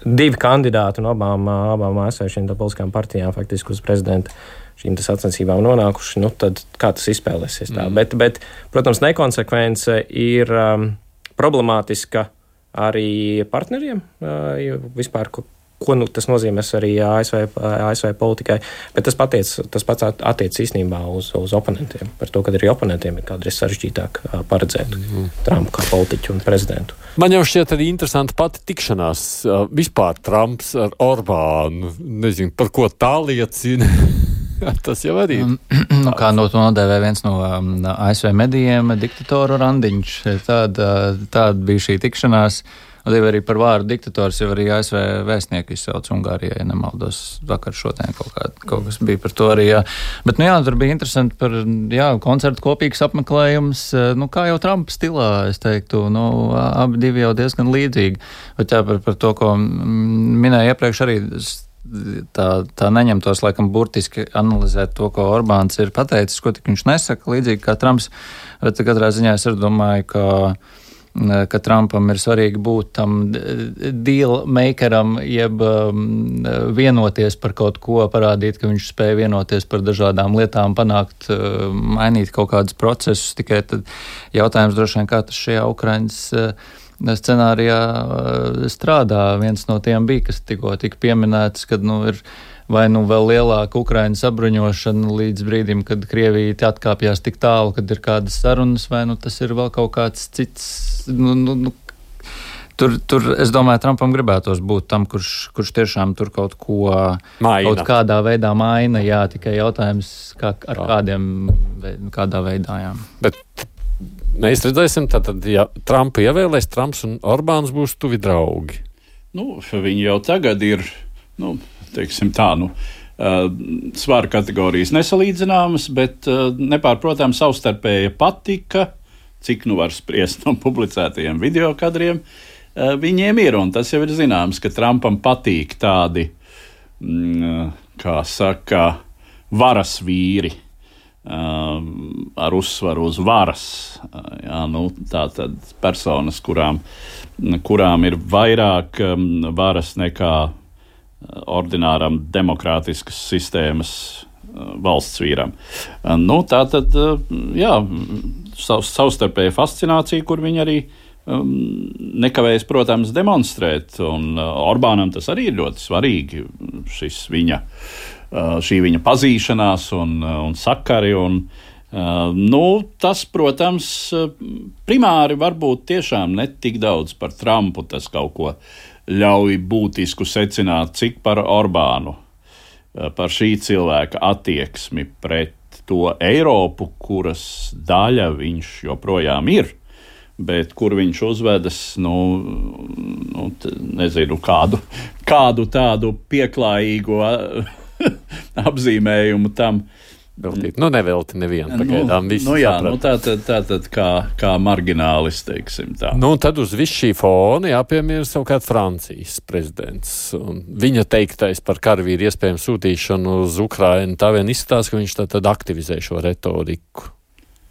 divi kandidāti no abām, abām A S V šīm politiskām partijām faktiski uz prezidenta šīm tas sacensībām nonākuši, nu tad kā tas izspēlēsies tā. Mm. Bet, bet, protams, nekonsekvence ir um, problemātiska arī partneriem, vispār, ko, ko nu, tas nozīmēs arī A S V, A S V politikai, bet tas, patiec, tas pats attiec īstenībā uz, uz oponentiem. Par to, ka arī oponentiem ir kādreiz sarežģītāk paredzēt mm. Trumpu kā politiķu un prezidentu. Man jau šķiet arī interesanti pati tikšanās vispār Trumps ar Orbānu. Nezinu, par ko tā liecina. Tas jau arī ir. Nu, kā no to nodēvē viens no um, A S V medijiem, diktatoru randiņš. Tāda, tāda bija šī tikšanās. Un arī par vārdu diktators jau arī A S V vēstnieku izsauc Ungārijai, ja nemaldos, vakar šodien kaut, kā, kaut kas bija par to arī. Jā. Bet, nu jā, tur bija interesanti par, jā, koncertu kopīgs apmeklējums, nu, kā jau Trumpa stilā, es teiktu, nu, abi divi jau diezgan līdzīgi. Bet jā, par, par to, ko minēju iepriekš arī, Tā, tā neņemtos, laikam, burtiski analizēt to, ko Orbāns ir pateicis, ko tik viņš nesaka, līdzīgi kā Trumps. Bet katrā ziņā es arī domāju, ka, ka Trumpam ir svarīgi būt tam deal makeram, jeb vienoties par kaut ko, parādīt, ka viņš spēja vienoties par dažādām lietām, panākt, mainīt kaut kādus procesus. Tikai tad jautājums droši vien, kā tas šajā Ukrainas scenārijā strādā. Viens no tiem bija, kas tikko tika pieminēts, kad nu, ir vai nu vēl lielāka Ukrainas sabruņošana līdz brīdim, kad Krievija atkāpjās tik tālu, kad ir kādas sarunas, vai nu tas ir vēl kaut kāds cits. Nu, nu, nu, tur, tur, es domāju, Trumpam gribētos būt tam, kurš, kurš tiešām tur kaut ko maina. Kaut kādā veidā maina, jā, tikai jautājums, kā, ar kādiem, kādā veidā, jā. Bet mēs redzēsim, tātad, ja Trumpa ievēlēs, Trumps un Orbāns būs tuvi draugi. Nu, viņi jau tagad ir, nu, teiksim tā, nu, uh, svāra kategorijas nesalīdzināmas, bet uh, nepārprotam savstarpēja patika, cik nu var spriest no publicētajiem videokadriem, uh, viņiem ir, un tas jau ir zināms, ka Trumpam patīk tādi, mm, kā saka, varas vīri. Um, ar uzsvaru uz varas. Jā, nu, tā tad personas, kurām, kurām ir vairāk um, varas nekā ordināram demokrātiskas sistēmas uh, valsts vīram. Uh, nu, tā tad, uh, jā, sav, savstarpēja fascinācija, kur viņi arī um, nekavējas, protams, demonstrēt. Un uh, Orbānam tas arī ir ļoti svarīgi, šis viņa šī viņa pazīšanās un, un sakari. Un, nu, tas, protams, primāri varbūt tiešām ne tik daudz par Trumpu, tas kaut ko ļauj būtisku secināt, cik par Orbānu, par šī cilvēka attieksmi pret to Eiropu, kuras daļa viņš joprojām ir, bet kur viņš uzvedas, nu, nu nezinu, kādu, kādu tādu pieklājīgo apzīmējumu tam. Veltīt. Nu, nevelti nevienu pagaidām. Nu, nu jā, nu tā tad, tā tad kā, kā marginālis, teiksim tā. Nu, un tad uz visu šī fona jāpiemēra savukārt Francijas prezidents. Un viņa teiktais par karavīru iespējamu sūtīšanu uz Ukrainu tā vien izskatās, ka viņš tā tad aktivizē šo retoriku.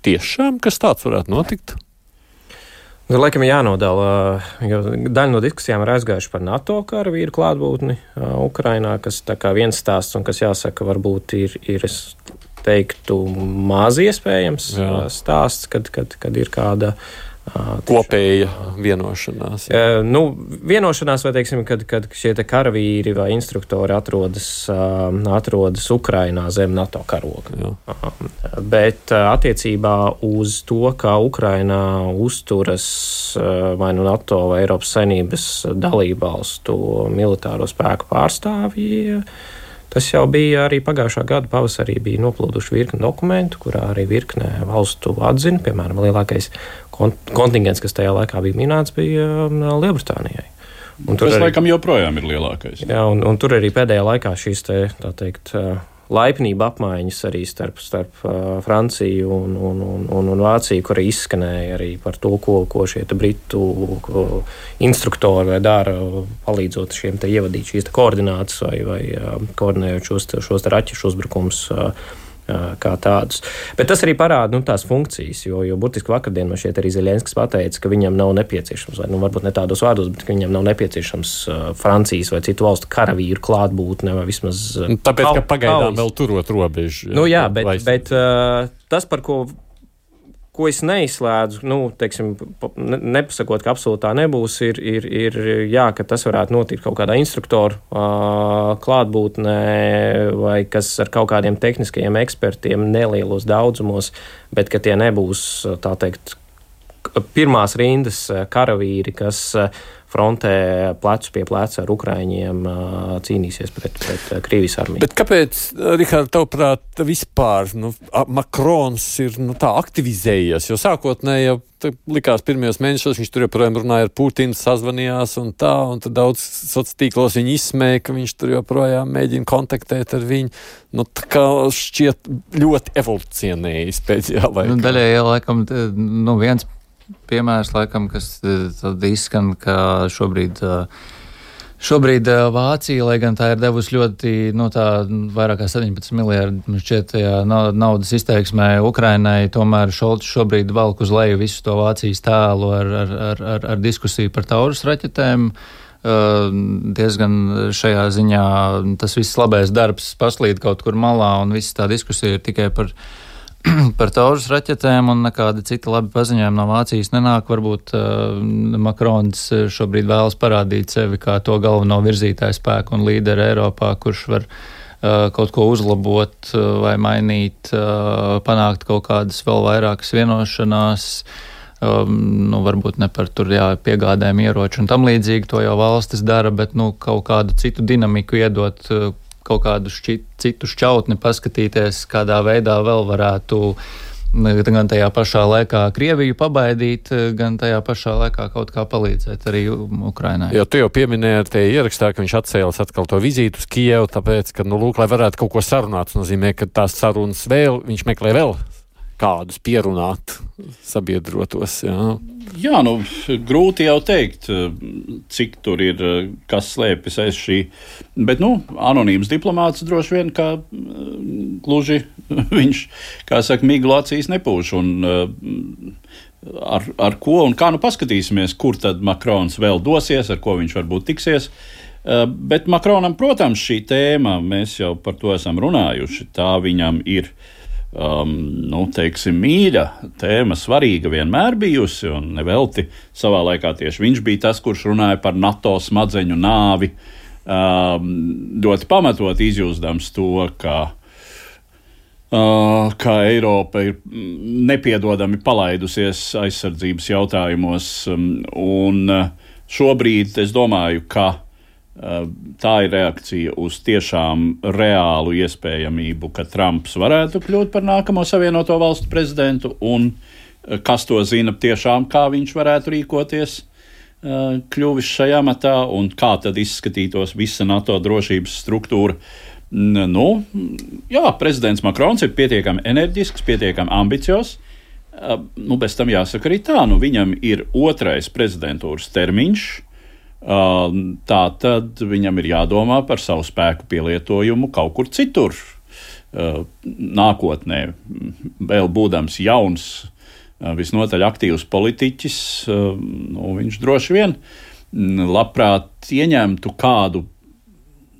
Tiešām, kas tāds varētu notikt? Nu, laikam jānodala, jo daļa no diskusijām ir aizgājuši par NATO karavīru klātbūtni Ukrainā, kas tā kā viens stāsts un kas jāsaka varbūt ir, ir es teiktu, maz iespējams Jā. stāsts, kad, kad, kad ir kāda tiešām, kopēja vienošanās. Jā. Nu, vienošanās, vai teiksim, kad, kad šie te karavīri vai instruktori atrodas, atrodas Ukrainā zem NATO karoga. Jā. Bet attiecībā uz to, kā Ukrainā uzturas vai nu NATO vai Eiropas Savienības dalībvalstu militāro spēku pārstāvji, tas jau bija arī pagājušā gada pavasarī bija noplūduši virkni dokumentu, kurā arī virkne valstu atzina, piemēram, lielākais kontingents, kas tajā laikā bija minēts, bija Lielbritānijai. Un tur tas, arī, laikam, joprojām ir lielākais. Jā, un, un tur arī pēdējā laikā šīs te, tā teikt, laipnība apmaiņas arī starp, starp Franciju un, un, un, un, un Vāciju, kur izskanēja arī par to, ko, ko šie te britu ko instruktori dara, palīdzot šiem te ievadīt šīs te koordinātas vai, vai koordinējot šos, šos te raķešu uzbrukums kā tādus. Bet tas arī parāda nu, tās funkcijas, jo, jo burtiski vakardien man šeit arī Zeļenskis pateica, ka viņam nav nepieciešams, vai nu varbūt ne tādos vārdos, bet ka viņam nav nepieciešams uh, Francijas vai citu valstu karavīru klātbūtne vai vismaz... Uh, Tāpēc, ka pagaidām vēl turot robežu. Nu jā, bet, bet uh, tas, par ko ko es neizslēdzu, nu, teiksim, nepasakot, ka absolūti tā nebūs, ir, ir, ir jā, ka tas varētu notikt kaut kādā instruktoru uh, klātbūtnē vai kas ar kaut kādiem tehniskajiem ekspertiem nelielos daudzumos, bet ka tie nebūs, tā teikt, pirmās rindas karavīri, kas frontē plecu pie pleca ar Ukraiņiem cīnīsies pret, pret Krievijas armiju. Bet kāpēc, Rihard, tavuprāt, vispār nu, Makrons ir nu, tā aktivizējies? Jo sākotnēji jau likās pirmajos mēnešos, viņš tur joprojām runāja ar Putinu, sazvanījās un tā, un tad daudz sociālos tīklos viņu izsmēja, ka viņš tur joprojām mēģina kontaktēt ar viņu. Nu, tā kā šķiet ļoti evolucionējis pēdējā laikā. Nu, daļai, laikam, nu, viens piemērs, laikam, kas tad izskan, ka šobrīd, šobrīd Vācija, lai gan tā ir devusi ļoti, no tā vairāk kā septiņpadsmit miljardi, šķiet, naudas izteiksmē Ukrainai, tomēr Šolts šobrīd valk uz leju visu to Vācijas tēlu ar, ar, ar, ar, ar diskusiju par Taurus raķetēm. Diezgan šajā ziņā tas viss labais darbs paslīd kaut kur malā, un viss tā diskusija ir tikai par par Taurus raķetēm, un nekādi citi labi paziņojumi no Vācijas nenāk. Varbūt uh, Makrons šobrīd vēlas parādīt sevi kā to galveno virzītāju spēku un līderi Eiropā, kurš var uh, kaut ko uzlabot uh, vai mainīt, uh, panākt kaut kādas vēl vairākas vienošanās, um, nu, varbūt ne par tur jā, piegādēm ieroču un tam līdzīgi, to jau valstis dara, bet nu, kaut kādu citu dinamiku iedot, uh, kaut kādu šķit, citu šķautni paskatīties, kādā veidā vēl varētu gan tajā pašā laikā Krieviju pabaidīt, gan tajā pašā laikā kaut kā palīdzēt arī Ukrainai. Jo tu jau pieminēji ar te ierakstā, ka viņš atcēlas atkal to vizītu uz Kijevu, tāpēc, ka, nu, lūk, lai varētu kaut ko sarunāt, tas nozīmē, ka tās sarunas vēl, viņš meklē vēl kādus pierunāt sabiedrotos, jā. Jā, nu, grūti jau teikt, cik tur ir, kas slēpjas aiz šī, bet, nu, anonīms diplomāts droši vien, kā gluži viņš, kā saka, miglu acīs nepūš, un ar, ar ko un kā nu paskatīsimies, kur tad Makrons vēl dosies, ar ko viņš varbūt tiksies, bet Makronam, protams, šī tēma, mēs jau par to esam runājuši, tā viņam ir Um, nu, teiksim, mīļa tēma, svarīga vienmēr bijusi, un nevelti savā laikā tieši viņš bija tas, kurš runāja par NATO smadzeņu nāvi, um, ļoti pamatot izjūsdams to, ka, uh, ka Eiropa ir nepiedodami palaidusies aizsardzības jautājumos, um, un uh, šobrīd es domāju, ka tā ir reakcija uz tiešām reālu iespējamību, ka Trumps varētu kļūt par nākamo Savienoto Valstu prezidentu, un kas to zina tiešām, kā viņš varētu rīkoties kļuvis šajā matā, un kā tad izskatītos visa NATO drošības struktūra. Nu, jā, prezidents Makrons ir pietiekami enerģisks, pietiekami ambiciozs. Nu, bez tam jāsaka arī tā, nu, viņam ir otrais prezidentūras termiņš, tā tad viņam ir jādomā par savu spēku pielietojumu kaut kur citur. Nākotnē, vēl būdams jauns, visnotaļ aktīvs politiķis, nu, viņš droši vien labprāt ieņemtu kādu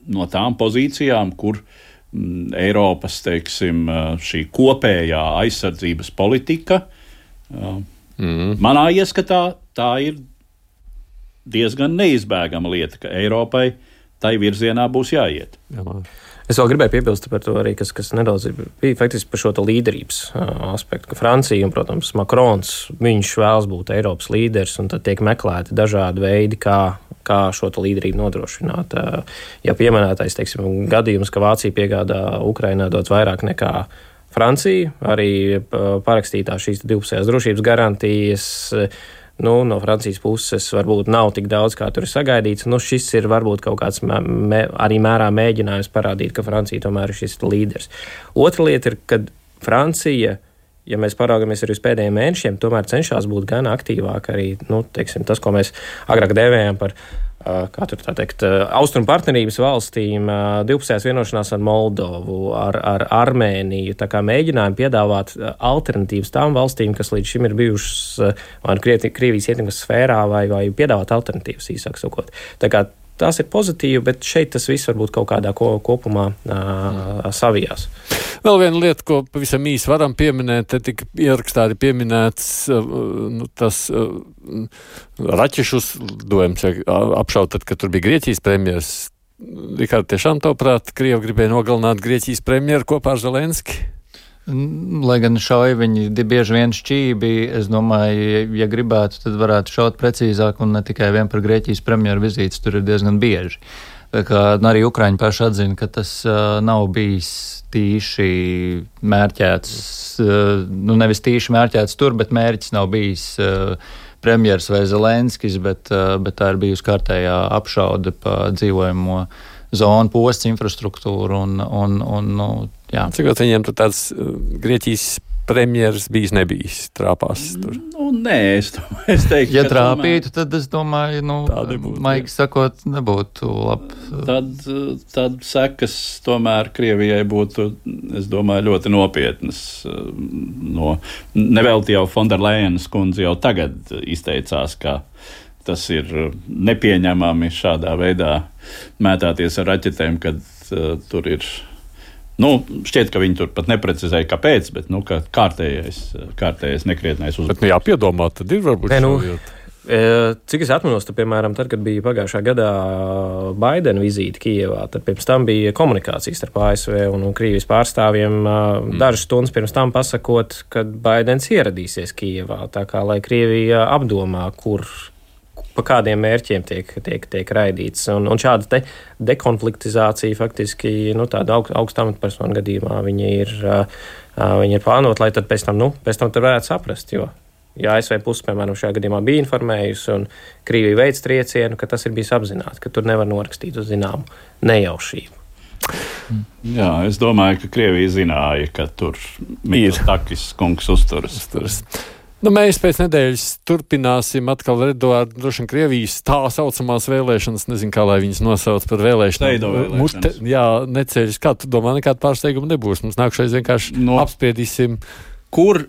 no tām pozīcijām, kur m, Eiropas, teiksim, šī kopējā aizsardzības politika, mm. manā ieskatā, tā ir diezgan neizbēgama lieta, ka Eiropai tai virzienā būs jāiet. Jā, es vēl gribēju piebilst par to arī, kas, kas nedaudz bija faktiski par šo līderības aspektu, ka Francija un, protams, Makrons, viņš vēlas būt Eiropas līderis, un tad tiek meklēti dažādi veidi, kā kā šo līderību nodrošināt. Ja pieminētais, teiksim, gadījums, ka Vācija piegādā Ukrainā daudz vairāk nekā Francija, arī parakstītā šīs divpusējās drošības garantijas, nu, no Francijas puses varbūt nav tik daudz, kā tur ir sagaidīts. Nu, šis ir varbūt kaut kāds mē, arī mērā mēģinājums parādīt, ka Francija tomēr ir šis līderis. Otra lieta ir, kad Francija, ja mēs paraugamies arī uz pēdējiem mēnešiem, tomēr cenšas būt gan aktīvāk arī, nu, teiksim, tas, ko mēs agrāk dēvējām par, kā tur tā teikt, austrumu partnerības valstīm, divpusējās vienošanās ar Moldovu, ar, ar Armēniju, tā kā mēģinājumi piedāvāt alternatīvas tām valstīm, kas līdz šim ir bijušas vai Krievijas ietekmes sfērā, vai, vai piedāvāt alternatīvas, īsāk sakot. Tā kā tās ir pozitīvi, bet šeit tas viss varbūt kaut kādā ko, kopumā uh, savijās. Vēl viena lieta, ko pavisam īsi varam pieminēt, te tika ierakstāti pieminēts uh, nu, tas uh, raķešus dojums apšaut, tad, kad tur bija Grieķijas premjeras. Rikārd, tiešām tavuprāt, Krievi gribēja nogalināt Grieķijas premjeru kopā ar Zelenski? Lai gan šauja viņi bieži vien šķībi, es domāju, ja gribētu, tad varētu šaut precīzāk un ne tikai vien par Grieķijas premjeru vizītes, tur ir diezgan bieži. Tā kā arī Ukraiņi paši atzina, ka tas uh, nav bijis tīši mērķēts, uh, nu nevis tīši mērķēts tur, bet mērķis nav bijis uh, premjers vai Zelenskis, bet, uh, bet tā ir bijusi kārtējā apšaude pa dzīvojamo zonu, posts, infrastruktūru un, un, un nu, jā. Cik viņiem tur tāds uh, Grieķijas premjeras bijis nebijis trāpās tur? Nu, nē, es, domāju, es teiktu, ja ka trāpītu, tad es domāju, nu, maigi sakot, nebūtu labi. Tad, tad sekas tomēr Krievijai būtu, es domāju, ļoti nopietnas. No, nevelti jau Fonderlejenas kundze jau tagad izteicās, ka tas ir nepieņemami šādā veidā mētāties ar raķetēm, kad uh, tur ir. Nu, šķiet, ka viņi tur pat neprecizēja, kāpēc, bet nu, ka kārtējais, kārtējais nekrietnais uzbrukums. Bet, nu, jāpiedomā, tad ir varbūt ne, nu, cik es atminos, tad, piemēram, tad, kad bija pagājušā gadā Baidena vizīte Kijevā, tad pirms tam bija komunikācijas starp A S V un, un Krievijas pārstāvjiem mm. dažas stundas pirms tam pasakot, kad Baidens ieradīsies Kijevā, tā kā, lai Krievija apdomā, kur pa kādiem mērķiem tiek, tiek, tiek raidīts. Un, un šāda te dekonfliktizācija faktiski, nu, tāda aug, augsta amatpersonu gadījumā viņi ir, uh, viņi ir plānot, lai tad pēc tam, nu, pēc tam tad varētu saprast, jo, ja A S V puse, piemēram, šajā gadījumā bija informējusi un Krievija veids triecienu, ka tas ir bijis apzināti, ka tur nevar norakstīt uz zināmu nejaušību. Jā, es domāju, ka Krievija zināja, ka tur Mitsotakis kungs uzturas. uzturas. Nu, mēs pēc nedēļas turpināsim atkal ar Eduārdu droši vien Krievijas tā saucamās vēlēšanas, nezinu, kā lai viņas nosauc par vēlēšanām. Steido vēlēšanas. Mušte, jā, neceļas. Kā tu domā, nekāda pārsteiguma nebūs? Mums nākšais vienkārši no, apspriedīsim. Kur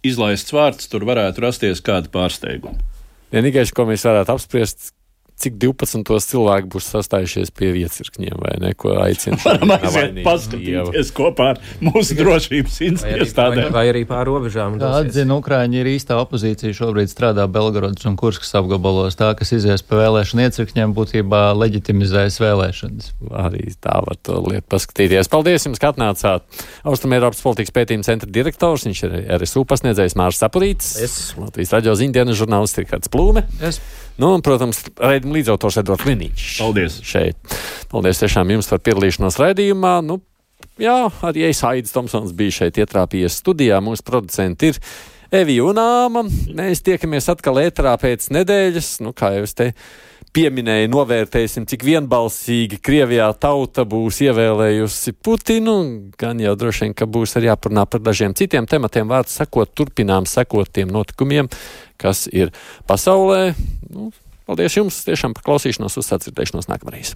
izlaists vārds, tur varētu rasties kāda pārsteiguma. Vienīgais, ko mēs varētu apspriest, cik divpadsmitos cilvēki būs sastājušies pie viecirkņiem, vai ne, ko aicina. Varam aiziet paskatīties kopā ar mūsu drošības iestādēm. Vai arī pār robežām. Tā atzina, Ukraiņi ir īstā opozīcija, šobrīd strādā Belgorodas un Kurskas apgabalos. Tā, kas izies pa vēlēšanu iecirkņiem, būtībā leģitimizēs vēlēšanas. Arī tā var to lietu paskatīties. Paldies jums, ka atnācāt. Austrumēropas politikas pētījuma centra direktors, viņš ir R S U pasniedzējs Mārs Sapurītis, es. Latvijas radio ziņdienas žurnālists Rikārds Plūme. Es. Nu, un, protams, raidījuma līdzautors Edvards Liniņš. Paldies. Šeit. Paldies tiešām jums par piedalīšanos raidījumā. Nu, jā, arī es, Aidis Tomsons, bija šeit ietrāpījies studijā. Mūsu producenti ir Evija Unāma. Mēs tiekamies atkal ēterā pēc nedēļas. Nu, kā jau es te pieminēja, novērtēsim, cik vienbalsīgi Krievijā tauta būs ievēlējusi Putinu. Gan jau droši vien, ka būs arī jāparunā par dažiem citiem tematiem. Vārds sakot, turpinām sekot tiem notikumiem, kas ir pasaulē. Nu, paldies jums tiešām par klausīšanos, uz sadzirdēšanos nākamreiz.